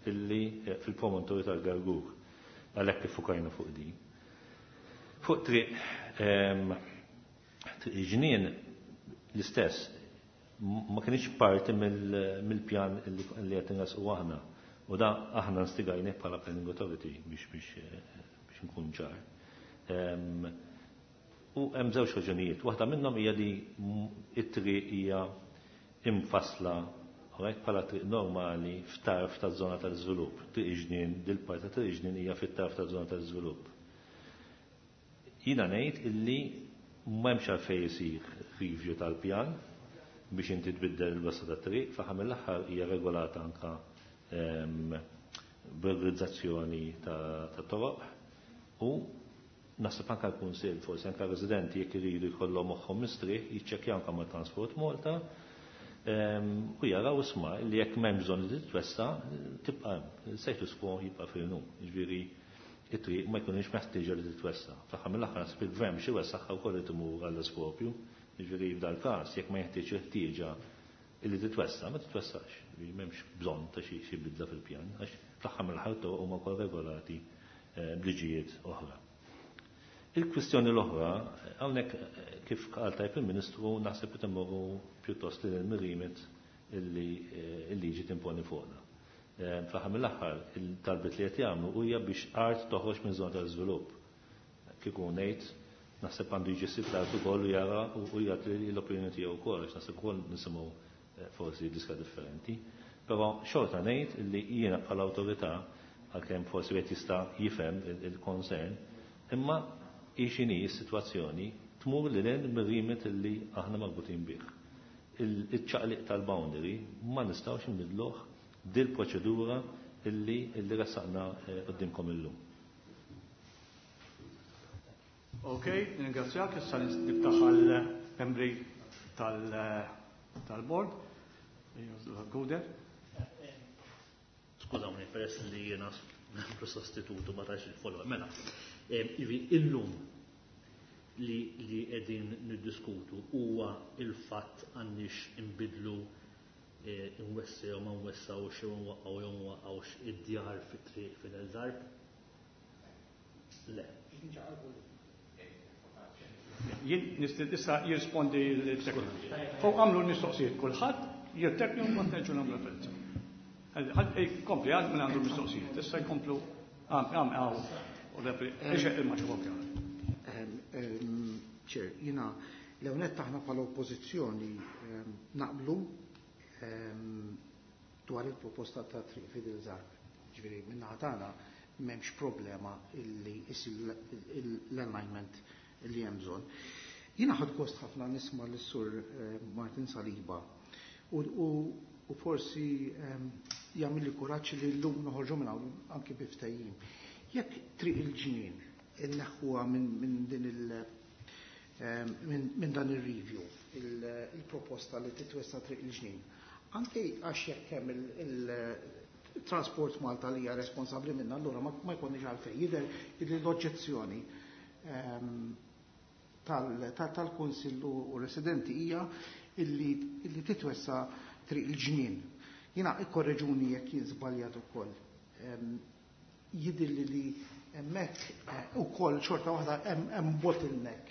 illi fil-promontorju tal-Gargur. Għalhekk iffukajna fuq din. Fuq triq triq ġnien l-istess ma kienx parti mill-pjan li qed inresqu aħna. U da aħna nstigajnih bħala Planning Authority biex biex nkun ċar. U hemm żewġ raġunijiet. Waħda minnhom hija li it-triq hija imfassla alright, bħala triq normali f'tarf taż-żona tal-iżvilupp. Triq ġnien, dil-parti ta' triq ġnien hija fit-tarf taż-żona tal-iżvilupp. Jiena ngħid illi m'hemmx għalfejn isir review tal-pjan biex inti tbiddel il-wasa tat-triq, f'aħħar mill-aħħar hija regolata anka b'regolizzazzjoni ta' toroq u naħseb anke l-Kunsill, forsi anke r-residenti jekk iridu jkollhom moħħhom mistrieħ, jiċċekkjaw anke ma' Transport Malta u jaraw isma' li jekk m'hemm bżonn li titwessa, tibqa' hemm, status quo jibqa' fil-num. Jiġifieri it-triq ma jkunx meħtieġa li titwessa. Fl-aħħar mill-aħħar naħseb il-gvern biex iwessaħħa wkoll irid imur għall-iskopju. Jiġifieri f'dal-każ jekk ma jeħtieġ il-ħtieġa illi titwessa, ma titwessax. Jiġifieri m'hemmx bżonn ta' xi xi bidla fil-pjan, għax fl-aħħar mill-aħħar toroq huma wkoll regolati b'liġijiet oħra. Il-kwistjoni l-oħra, hawnhekk kif qal tajb il-Ministru, naħseb li timmorru pjuttost lil il-mirimet illi il-liġi timponi fuqna. Fl-aħħar mill-aħħar, il-talbiet li qed jagħmlu hija biex art toħroġ minn żona tal-iżvilupp. Kieku ngħid, naħseb għandu jiġi ssib l-art ukoll u jara u jagħti l-opinjoni tiegħu wkoll, għax naħseb ukoll nisimgħu forsi diska differenti. Però xorta ngħid li jiena bħala awtorità, għalkemm forsi wieħed jista' jifhem il-concern, imma hi x'inhi s-sitwazzjoni tmur lil hinn mir-rimit illi aħna marbutin bih. Il-ċaqliq tal-boundary ma nistgħux nbidluh dil-proċedura illi illi ressaqna qudiemkom illum. Ok, ringrazzjak, issa niftaħ għall-membri tal-board. Guder. Skużawni, peress li jiena membru sostitutu ma tax il-follow. Mela, illum li li qegħdin niddiskutu huwa il-fatt għandix inbidlu nwessew jew ma nwessawx jew nwaqqgħu jew nwaqqgħux id-djar fit-triq Fidel Zarb? Le. Jien issa jirrispondi l-sekretari. Fuq għamlu l-mistoqsijiet kulħadd, jirtekni u mbagħad nerġgħu nagħmlu referenza. Kompli għad minn għandu l-mistoqsijiet, issa jkomplu għam għam għaw u repli, il-maċ Ċer, jina, l-ewnet taħna bħala oppożizzjoni naqblu dwar il-proposta ta' Triq Fidel Zarb. Ġifieri minnaħa tagħna m'hemmx problema illi isir l-alignment li hemm bżonn. Jiena ħadd gost ħafna nisma' lis-Sur Martin Saliba u forsi jagħmel li kuraġġ li llum noħorġu minn hawn anki bi ftehim. Jekk Triq il-Ġnien inneħħuha minn din il minn dan ir-review il-proposta li titwessa Triq il-Ġnien. Anke għax jekk hemm il-Transport Malta li hija responsabbli minna, allura ma jkunniex għalfejn. Jidher li l-oġġezzjoni tal-Kunsill u residenti hija illi titwessa Triq il-Ġnien. Jiena ikkorreġuni jekk jien żbaljat ukoll. Jidhirli li hemmhekk ukoll xorta waħda hemm bottleneck.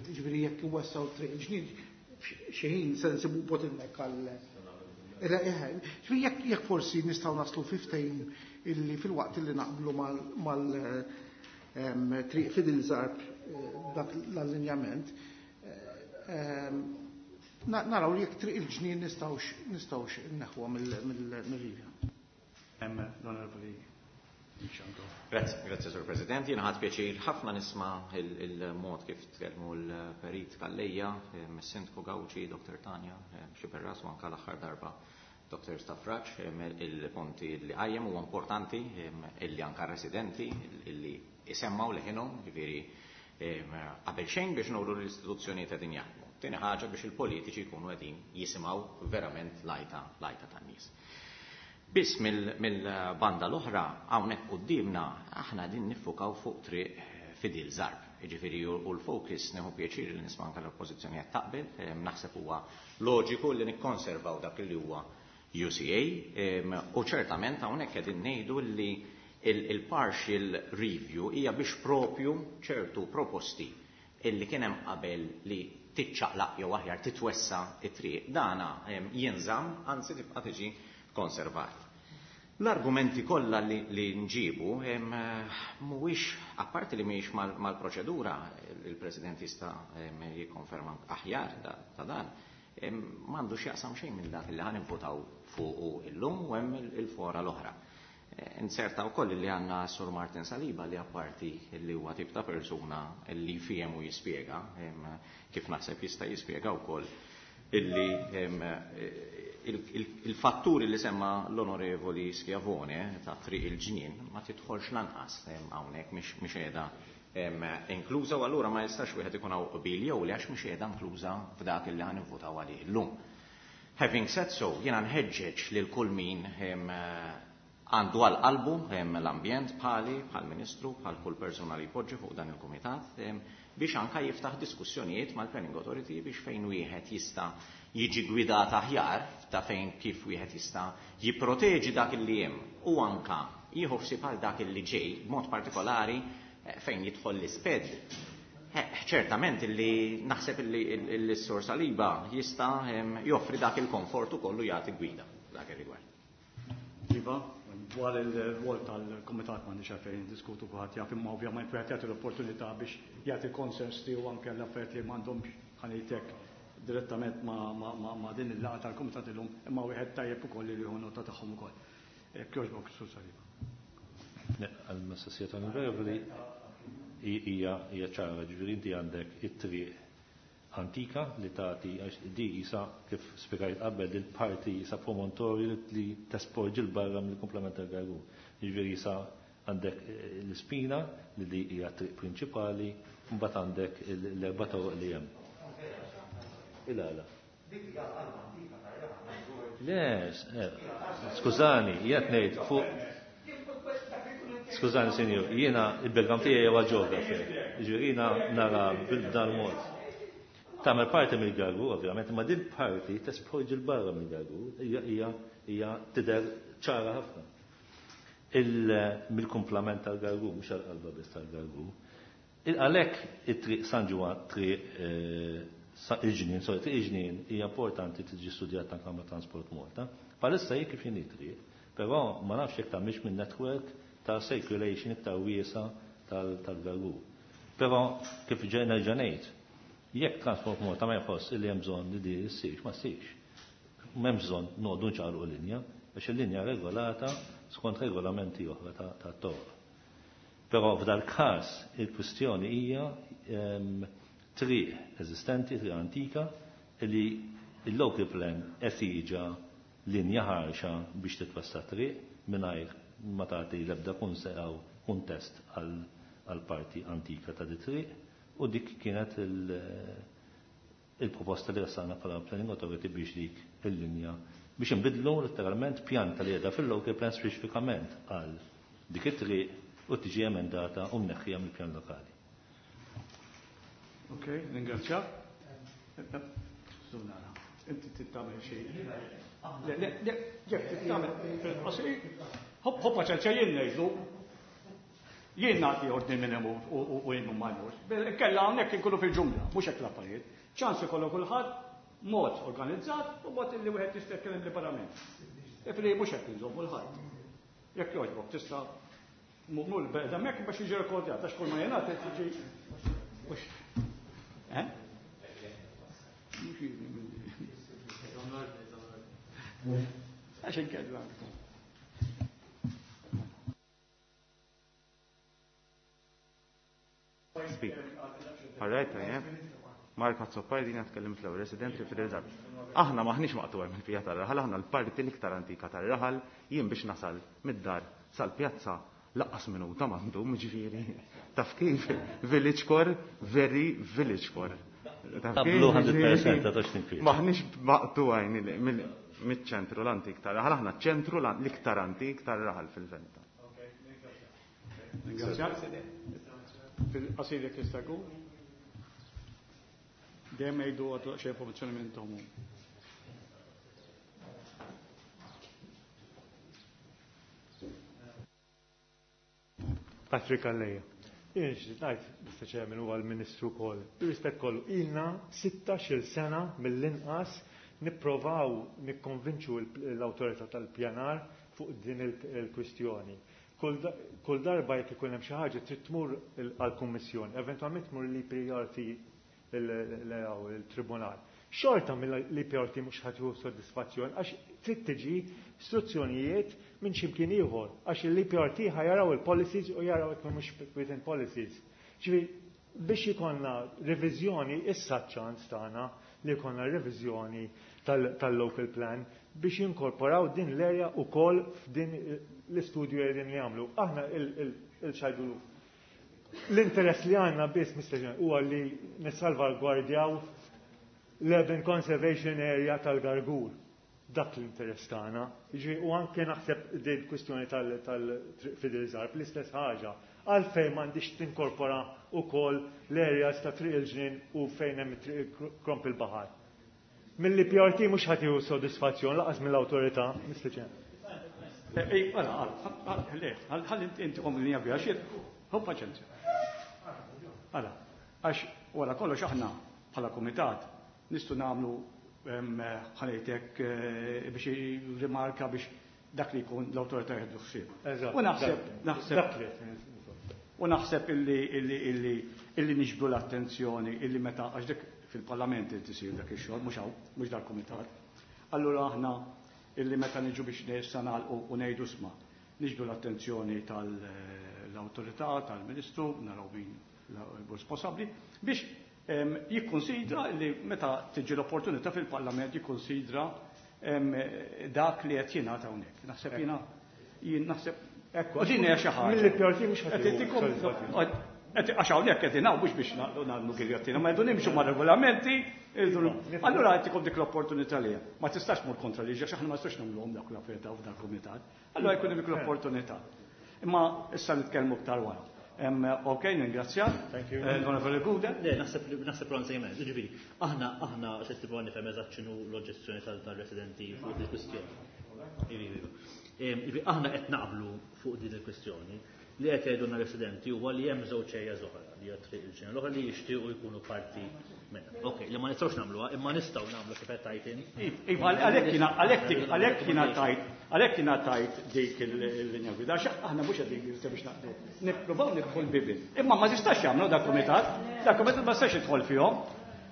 Ġifieri jekk iwessaw Triq il-Ġnien xi ħin se nsibu bottleneck għal. Ġifieri jekk forsi nistgħu naslu fi ftehim illi fil-waqt illi naqblu mal Triq Fidel Zarb dak l-allinjament, naraw li jekk Triq il-Ġnien nistgħux nistgħux inneħħuha mill-rivja. L-Onorevoli. Grazie, grazie Sur President. Jien ħadt pjaċir ħafna nisma' il-mod kif tkellmu l-Perit Calleja, mis-Sindku Gauci, Doktor Tanja, Xiberras u anke l-aħħar darba Doktor Stafraċ, il-punti li qajjem huwa importanti illi anke residenti illi isemmaw leħinhom, jiġifieri qabel xejn biex nuru l-istituzzjonijiet qegħdin jaħdmu. Tieni ħaġa biex il-politiċi jkunu qegħdin jisimgħu verament lajta lajta tan-nies. Biss mill-banda l-oħra hawnhekk quddiemna aħna din niffukaw fuq Triq Fidel Zarb. Jiġifieri u l-focus nieħu pjaċir li nisma' anke l-oppożizzjoni qed taqbel, naħseb huwa loġiku li nikkonservaw dak li huwa U C A u ċertament hawnhekk qegħdin ngħidu li il-partial review hija biex propju ċertu proposti illi kien hemm qabel li tiċċaqlaq jew aħjar titwessa it-triq dana jinżamm, anzi tibqa' tiġi konservat. L-argumenti kollha li, li nġibu mhuwiex apparti li mhijiex mal-proċedura, il-President jista' jikkonferma aħjar ta' dan, m'għandu x'jaqsam xejn minn dak li ħan nivvotaw fuqu illum u hemm il-fora l-oħra. Inserta wkoll li għandna Sur Martin Saliba li apparti li huwa tip ta' persuna li fihem u jispjega, kif naħseb jista' jispjega wkoll illi il-fatturi li semma l-Onorevoli Schiavone ta' Triq il-Ġnien ma tidħolx lanqas hawnhekk mhix qiegħda inkluża u allura ma jistax wieħed ikun hawn qbil jew li għax mhix qiegħda inkluża f'dak li ħan nivvutaw għalih illum. Having said so, jiena nħeġġeġ lil kull min għandu għal qalbu l-ambjent bħali, bħal ministru, bħal kull persuna li jpoġġi fuq dan il-kumitat, biex anka jiftaħ diskussjonijiet mal-Planning Authority biex fejn wieħed jista' jiġi gwidat aħjar ta' fejn kif wieħed jista' jipproteġi dak li hemm u anka jieħu ħsieb għal dak li ġej b'mod partikolari fejn jidħol l-isped. Ċertament illi naħseb illi s-Sur Saliba jista' joffri dak il-komfort ukoll u jagħti gwida dak ir-rigward. Iva, dwar il-rwol tal-Kumitat m'għandix għalfejn diskutu kulħadd jaf, imma ovvjament wieħed jagħti l-opportunità biex jagħti konsens tiegħu anke l-affarijiet li m'għandhomx ħanejtek direttament ma' din il-laqgħa tal-Kumitat illum, imma wieħed tajjeb ukoll li jieħu nota tagħhom ukoll. Jogħġbok, Sur Saliba. Għal-mistoqsija tal-Onorevoli hija ċara, ġifieri inti għandek it-triq antika li tagħti għax di isa kif spjegajt qabel il-parti isa promontorju li tesporġi l barra mill-komplement tal-Gargur. Jiġifieri isa għandek l-ispina li di hija triq prinċipali, mbagħad għandek l-erba' toroq li hemm. Il-għala. Le, skużani, jgħid ngħid fuq. Skużani, sinjur, jiena il-background tiegħi huwa geographer. Jiġifieri jiena nara b'dan mod. Tagħmel parti mill-Gargur, ovvjament, ma din parti tesporġi 'l barra mill-Gargur, hija hija tidher ċara ħafna. Mill-kumplament tal-Gargur, mhux għall-qalba biss tal-Gargur. Għalhekk it-triq San Ġwann, triq il-ġnien, sorry, triq il-ġnien hija importanti tiġi studjata anke ma' Transport Malta. Bħalissa hi kif inhi triq, però ma nafx jekk tagħmilx minn network ta' circulation iktar wiesa tal-Gargur. Però kif ġejna ġenejt, jekk Transport Malta ma jħoss li hemm bżonn li di ssirx, ma ssirx. M'hemm bżonn noqogħdu nċaqalqu linja, għax il-linja regolata skont regolamenti oħra ta' toroq. Però f'dal każ il-kwistjoni hija triq eżistenti, triq antika, li il-local plan esiġa linja ħarxa biex titwassa triq mingħajr ma tagħti l-ebda kuntest għal parti antika ta' di triq, u dik kienet il-proposta li ressaqna bħala Planning Authority biex dik il-linja biex inbidlu letteralment pjanta li qiegħda fil-local plan speċifikament għal dik it-triq u tiġi emendata u mneħħija mill-pjan lokali. Ok, ringrazzja. Inti tittamel xejn. Le, le, le, Jeff, tittamel fil-qasir. Hop, hoppa ċerċa jien ngħidu. Jien nagħti ordni minn hemm u jien ma jmurx. Kella hawnhekk inkunu fil-ġungla, mhux hekk l-affarijiet. Ċans ikollu kulħadd mod organizzat u mod illi wieħed jista' jitkellem liberament. Ifri mhux hekk inżommu l-ħadd. Jekk jogħġbok tista' mur beda hekk biex jiġi rekordjat għax kull ma jingħad tiġi. Eh? Għax inkella. Speak. All right, I am. Mark Azzopardi, jiena tkellimt l-ewwel resident li Fidel Zarb. Aħna maħniex maqtuha mill-pija tar-raħal, aħna l-parti l-iktar antika tar-raħal, jien biex nasal mid-dar sal-pjazza laqqas minuta m'għandhom, ġifieri. Taf kif? Village core, very village core. Taf kif? Qablu hundred percent ta' tox tinkwit. Maħniex maqtuha mill-ċentru l-antik tar-raħal, aħna ċentru l-iktar antik tar-raħal fil-verità. Ringrazzjak. Fil-qasir jekk jista' jkun. Dejjem jgħidu għadu xi informazzjoni minn tomu. Patrick Calleja. Jien nixtieq ngħid, Mister Chairman, huwa l-Ministru wkoll. Bir-rispett kollu, ilna sittax-il sena mill-inqas nipprovaw nikkonvinċu l-awtorità tal-pjanar fuq din il-kwistjoni. Kull darba jekk ikun hemm xi ħaġa trid tmur għall-Kummissjoni, eventwalment tmur l-E P R T il-Tribunal. Xorta mill-E P R T mhux ħadd jieħu soddisfazzjon għax trid tiġi istruzzjonijiet minn x'imkien ieħor, għax l-E P R T ħajaraw il-policies u jaraw jekk mhux within policies. Ġifieri biex ikollna reviżjoni issa ċ-ċans tagħna li jkollna reviżjoni tal-local plan biex jinkorporaw din l-area wkoll f'din l-istudju li qegħdin jagħmlu. Aħna il-xajdu l-interess li għandna biss, Mister Chairman, huwa li nissalvagwardjaw l-Urban Conservation Area tal-Gargur. Dak l-interess tagħna. Jiġifieri, u anke naħseb din kwistjoni tal-Fidel Zarb, l-istess ħaġa. Għalfejn m'għandix tinkorpora wkoll l-areas ta' Triq il-Ġnien u fejn hemm Triq Kromp il-Baħar. Mill-E P R T mhux ħadd jieħu sodisfazzjon laqas mill-awtorità, Mister Chairman. Ej, għala, għala, le, ħalli inti kom linja biha xi, hu paċenzja. Għala, għax wara kollox aħna bħala kumitat nistgħu nagħmlu ħalejtek biex rimarka biex dak li jkun l-awtorità jieħdu ħsieb. Eżatt. U naħseb, naħseb Dak li qed ngħid. U naħseb illi, illi, illi, illi niġbdu l-attenzjoni illi meta għax dik fil-parlament irid isir dak ix-xogħol, mhux hawn, mhux dal-kumitat. Allura aħna illi meta niġu biex nista' nagħlqu u ngħidu sma', niġbdu l-attenzjoni tal-awtorità, tal-Ministru, naraw min responsabbli, biex, em, jikkonsidra li meta tiġi l-opportunità fil-Parlament jikkonsidra, em, dak li qed jingħata hawnhekk. Naħseb jiena, jien naħseb Ekku, u din hija xi ħaġa. Mill-E P R T mhux ħadd Qed jieħu intikom sodisfazzjon. qed għax hawnhekk qed ingħu mhux biex nagħmlu nagħmlu giljottina, ma jdu nimxu ma' regolamenti, irridu Allura qed ikom dik l-opportunità li ma tistax mur kontra liġi għax aħna ma nistax nagħmluhom dak l-affarijiet f'dan il-kumitat. Allura jkun hemm dik l-opportunità. Imma issa nitkellmu iktar wara. Ok, ningrazzjak. Thank you. L-Onorevoli Gouder. Le, naħseb naħseb Ron sejmen. Ġifieri, aħna aħna se tibgħu nifhem eżatt x'inhu l-oġġezzjoni tal-residenti fuq il-kwistjoni. Ġifieri, aħna qed naqblu fuq din il-kwistjoni. Li qed jgħidulna residenti huwa li hemm żewġ areas oħra li hija triq il-ġenera l-oħra li jixtiequ jkunu parti minnha. Ok, li ma nistgħux nagħmluha, imma nistgħu nagħmlu kif qed tajt int. Iva, għalhekk jiena għalhekk għalhekk jiena tajt għalhekk jiena tajt dik il-linja gwida, għax aħna mhux qegħdin biex naqdu. Nippruvaw nidħol bibien. Imma ma tistax jagħmlu dak kumitat, dak kumitat ma tistax idħol fihom.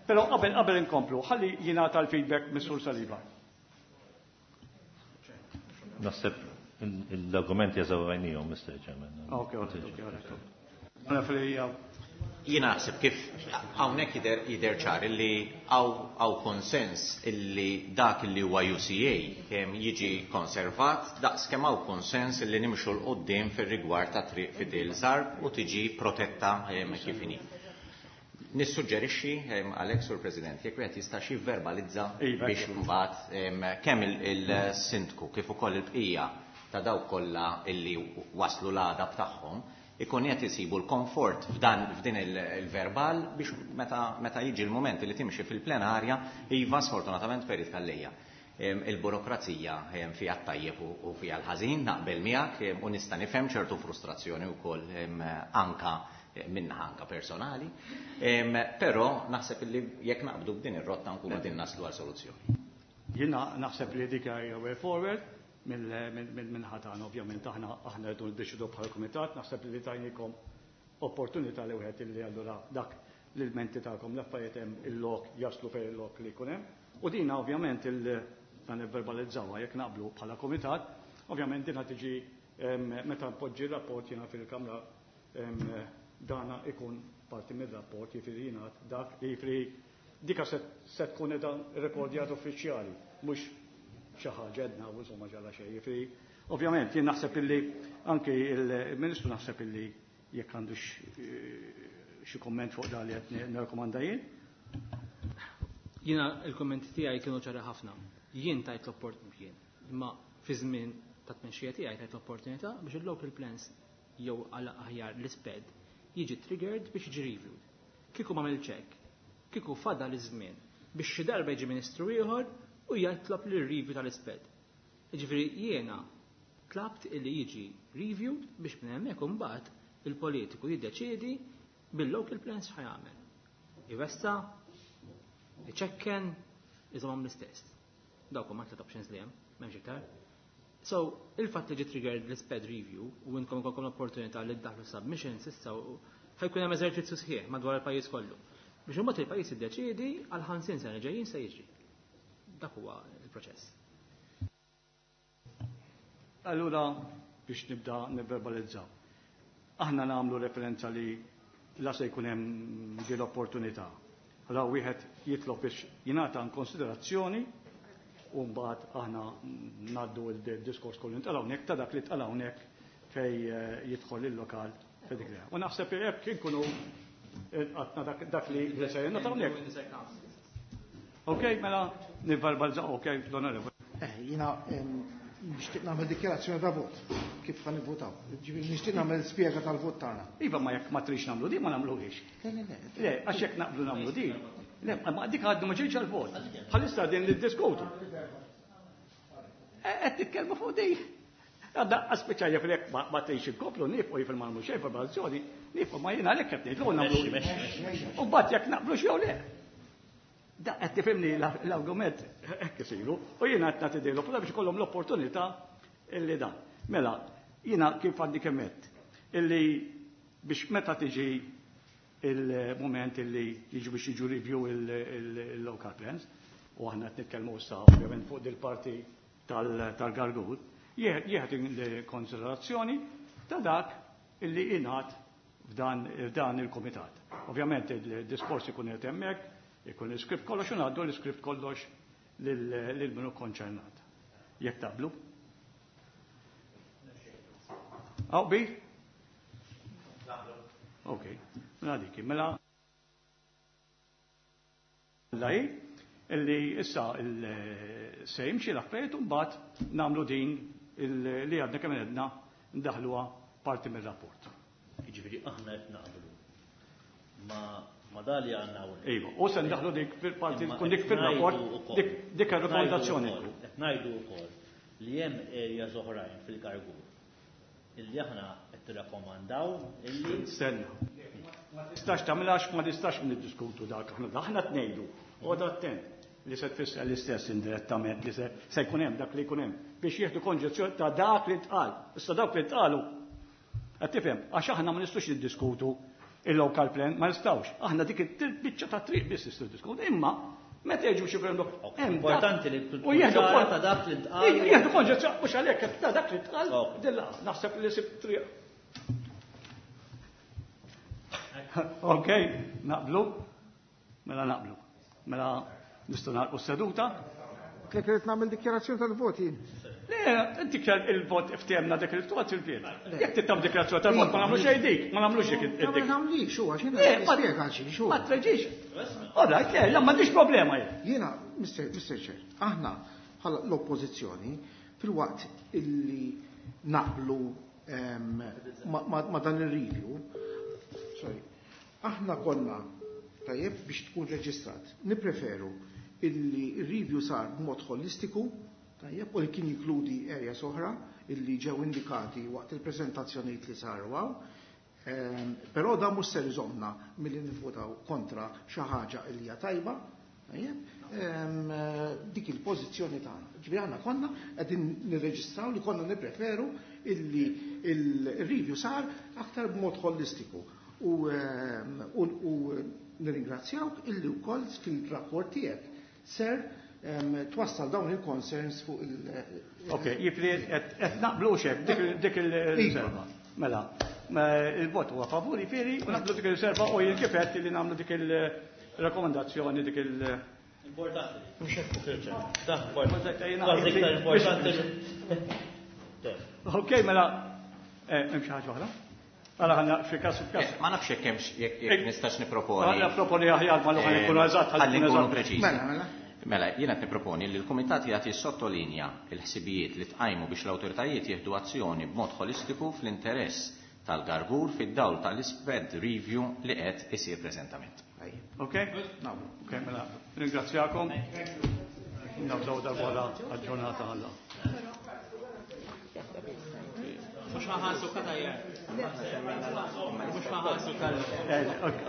Però qabel qabel inkomplu, ħalli jingħata l-feedback mis-Sur Saliba. Naħseb l-argumenti eżawrajnihom, Mister Chairman. Ok, ok, ok. Jiena naħseb kif hawnhekk jidher jidher ċar illi hawn konsens illi dak illi huwa U C A kemm jiġi konservat daqs kemm hawn konsens illi nimxu l quddiem fir-rigward ta' triq Fidel Zarb u tiġi protetta kif inhi. Nissuġġerixxi għalhekk, Sur President, jekk wieħed jista' xi verbalizza Iva, biex ekku. mbagħad kemm il-sindku kif ukoll il-bqija ta' dawk kollha illi waslu l-għadab tagħhom ikun qed isibu l-komfort f'dan f'din il-verbal biex meta, meta jiġi l-mument li timxi fil-plenarja, iva sfortunatament Perit Calleja. Il-burokrazija fiha t-tajjeb u fiha l-ħażin, naqbel miegħek u nista' nifhem ċertu frustrazzjoni wkoll anka minna anka personali, però naħseb li jekk naqbdu b'din ir-rotta nkunu qegħdin naslu għal soluzzjoni. Jiena naħseb li dik hija way forward minn ħatan, ovvjament aħna aħna rridu niddeċidu bħala kumitat, naħseb li tajnikom opportunità li wieħed illi allura dak l-menti tagħkom l-affarijiet hemm il-lok jaslu fejn il-lok li jkun hemm. U dina ovvjament il- dan nivverbalizzawha jekk naqblu bħala kumitat, ovvjament dina tiġi meta npoġġi rapport jiena fil-Kamra dana ikun parti mir-rapport, jiġifieri jingħad dak li jiġifieri dika se, se tkun qiegħda rekordjat uffiċjali, mhux xi ħaġa edna u insomma ġara xejn. Jiġifieri ovvjament jien naħseb illi anke il-Ministru naħseb illi jekk għandu xi komment fuq dan li qed nirrakkomanda jien. Jiena il-kommenti tiegħi kienu ċari ħafna. Jien tajt l-opportunità jien, imma fi żmien ta' tmexxija tiegħi tajt l-opportunità biex il-local plans jew għal aħjar l-isped jiġi triggered biex jiġi reviewed. Kieku m'għamilx hekk, kieku fadal iż-żmien biex xi darba jiġi ministru ieħor u jitlob li review tal-isped. Jiġifieri jiena tlabt illi jiġi reviewed biex minn hemmhekk imbagħad il-politiku jiddeċiedi bil-local plans x'ħajamel. Iwessa, iċekken, iżomhom l-istess. Dawk huma tliet options li hemm, m'hemmx iktar. So, il-fatt li ġi triggered l-sped review u inkom ikolkom l-opportunità li ddaħlu submissions issa ħajkun hemm eżerċizzju sħiħ madwar il-pajjiż kollu. Biex imbagħad il-pajjiż iddeċiedi għal ħamsin sena ġejjin se jiġri. Dak huwa il-proċess. Allura biex nibda nivverbalizzaw. Aħna nagħmlu referenza li la se jkun hemm din l-opportunità. Allura wieħed jitlob biex jingħata konsiderazzjoni u mbagħad aħna ngħaddu il-diskors kollu ntqal hawnhekk ta' dak li tqal hawnhekk fej, eh, jidħol il-lokal f'dik l-area. U naħseb li hekk inkunu għatna dak, dak li li se jingħata hawnhekk. Ok, mela nivverbalizzaw, ok, l-onorevoli. Eh, jiena, em, nixtieq nagħmel dikjarazzjoni ta' vot kif ħa nivvotaw. Ġifieri nixtieq nagħmel spjega tal-vot tagħna. Iva, ma jekk ma trix nagħmlu di, ma nagħmluhiex. Le, le, le. Le, għax jekk naqblu nagħmlu di. Le, ma dik għaddu ma ġejx għall-vot. Bħalissa din niddiskutu. Qed titkellmu fuq di. Għadda aspeċajja fil-jekk ma, ma trix inkoplu, nifqu jifil ma nagħmlu xejn fil-bazzjoni, nifqu ma jiena għalhekk qed ngħidlu nagħmlu. Mexxi, mexxi, mexxi. U mbagħad jekk naqblu xew le. Da qed tifhimni l-, l-argument hekk isiru u jiena qed nagħti din l-opportunità biex ikollhom l-opportunità illi dan. Mela, jiena kif għaddi kemm għedt, illi biex meta tiġi il-moment illi jiġu biex jiġu review il-, il-, il-local plans, u aħna qed nitkellmu issa ovvjament fuq dil-parti tal-, tal-Gargur, jieħed il-konsiderazzjoni ta' dak illi ingħad f'dan, f'dan il-komitat. Ovvjament il-diskors ikun qed hemmhekk, ikun l-iskript kollox u ngħaddu l-iskript kollox lil, lil minu konċernat. Jekk taqblu? Aw bi? Ok, mela dik, mela la hi illi issa il-, se jimxi l-affarijiet u mbagħad nagħmlu din il-, li għadna kemm għedna ndaħluha parti mir-rapport. Jiġifieri aħna qed naqblu ma ma dali għandna hawnhekk. Iva, u se ndaħlu dik fil-parti tkun dik fil-rapport, dik dik ir-rekomendazzjoni. Qed ngħidu wkoll li hemm areas oħrajn fil-Gargur illi aħna qed tirrakkomandaw illi Stenna. Ma tistax tagħmilha ma tistax niddiskutu dak aħna aħna tnejdu. Oqgħod attent li se tfisser l-istess indirettament li se se jkun hemm dak li jkun hemm biex jieħdu konġezzjoni ta' dak li tqal. Issa dak li tqalu. Qed tifhem, għax aħna ma nistgħux niddiskutu il-local plan, ma nistgħux. Aħna dik il-biċċa ta' triq biss nistgħu niddiskutu. Imma meta jiġu xi referendum, hemm Importanti li u jieħdu ċara ta' dak li ntqal. Jieħdu konġezzjoni mhux għalhekk ta' dak li tqal, dilla naħseb li sib triq. Ok, naqblu? Mela naqblu. Mela nistgħu nagħlqu s-seduta. Klek irid nagħmel dikjarazzjoni tal-voti. Le, inti il-vot ftehemna dik il-vot il-vot. Jekk tittam dikjarazzjoni tal-vot ma nagħmlu xejn dik, ma nagħmlux dik Ma id-dik. nagħmlix huwa x'jiena Le, ma- nispjega xi xu. Ma treġix. All right, le, la m'għandix problema jien. Jiena, Mister Mister Chair, aħna bħala l-oppożizzjoni fil-waqt illi naqblu ehm, ma, ma, ma dan il-review, sorry, aħna konna tajjeb biex tkun reġistrat. Nipreferu illi il-review sar b'mod holistiku, tajjeb, u li kien jinkludi areas oħra illi ġew indikati waqt il-preżentazzjonijiet li saru hawn. Ehm, Però da mhux ser iżommna milli nivvotaw kontra xi ħaġa li hija tajba, tajjeb, ehm, dik il-pożizzjoni tagħna. Ġifieri aħna konna qegħdin nirreġistraw li konna nippreferu illi il-review sar aktar b'mod holistiku. U, ehm, u, u nirringrazzjawk illi wkoll fil-rapport tiegħek ser ehm, twassal dawn il-concerns fuq il- Ok, jifri qed naqblu xek dik dik il-riserva. Mela, il-vot huwa favur jifieri u naqblu dik il-riserva u jien kif qed li nagħmlu dik il-rakkomandazzjoni dik il- Importanti. Mhux hekk. Da, kważi iktar importanti. Ok, mela, eh, hemm xi ħaġa oħra? Għala ħanna fi każ f'każ. Ma nafx jekk hemmx jekk jekk nistax niproponi. Ħalla proponi aħjar ma l-oħra nkunu eżatt, Ħalli nkunu nkunu eżatt. preċiżi. Mela, mela. Mela, jiena qed nipproponi li l-Kumitat jagħti sottolinja l-ħsibijiet li tqajmu biex l-awtoritajiet jieħdu azzjoni b'mod holistiku fl-interess tal-Gargur fid-dawl tal-iSPED review li qed isir preżentament. Ok? Ok, mela, ringrazzjakom. Nabżaw darba għal-ġurnata għalla. Mhux ħaħasu kada Mhux ħaħasu tal.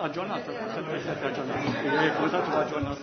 Aġġornata, aġġornata. Il-Kumitat huwa aġġornat.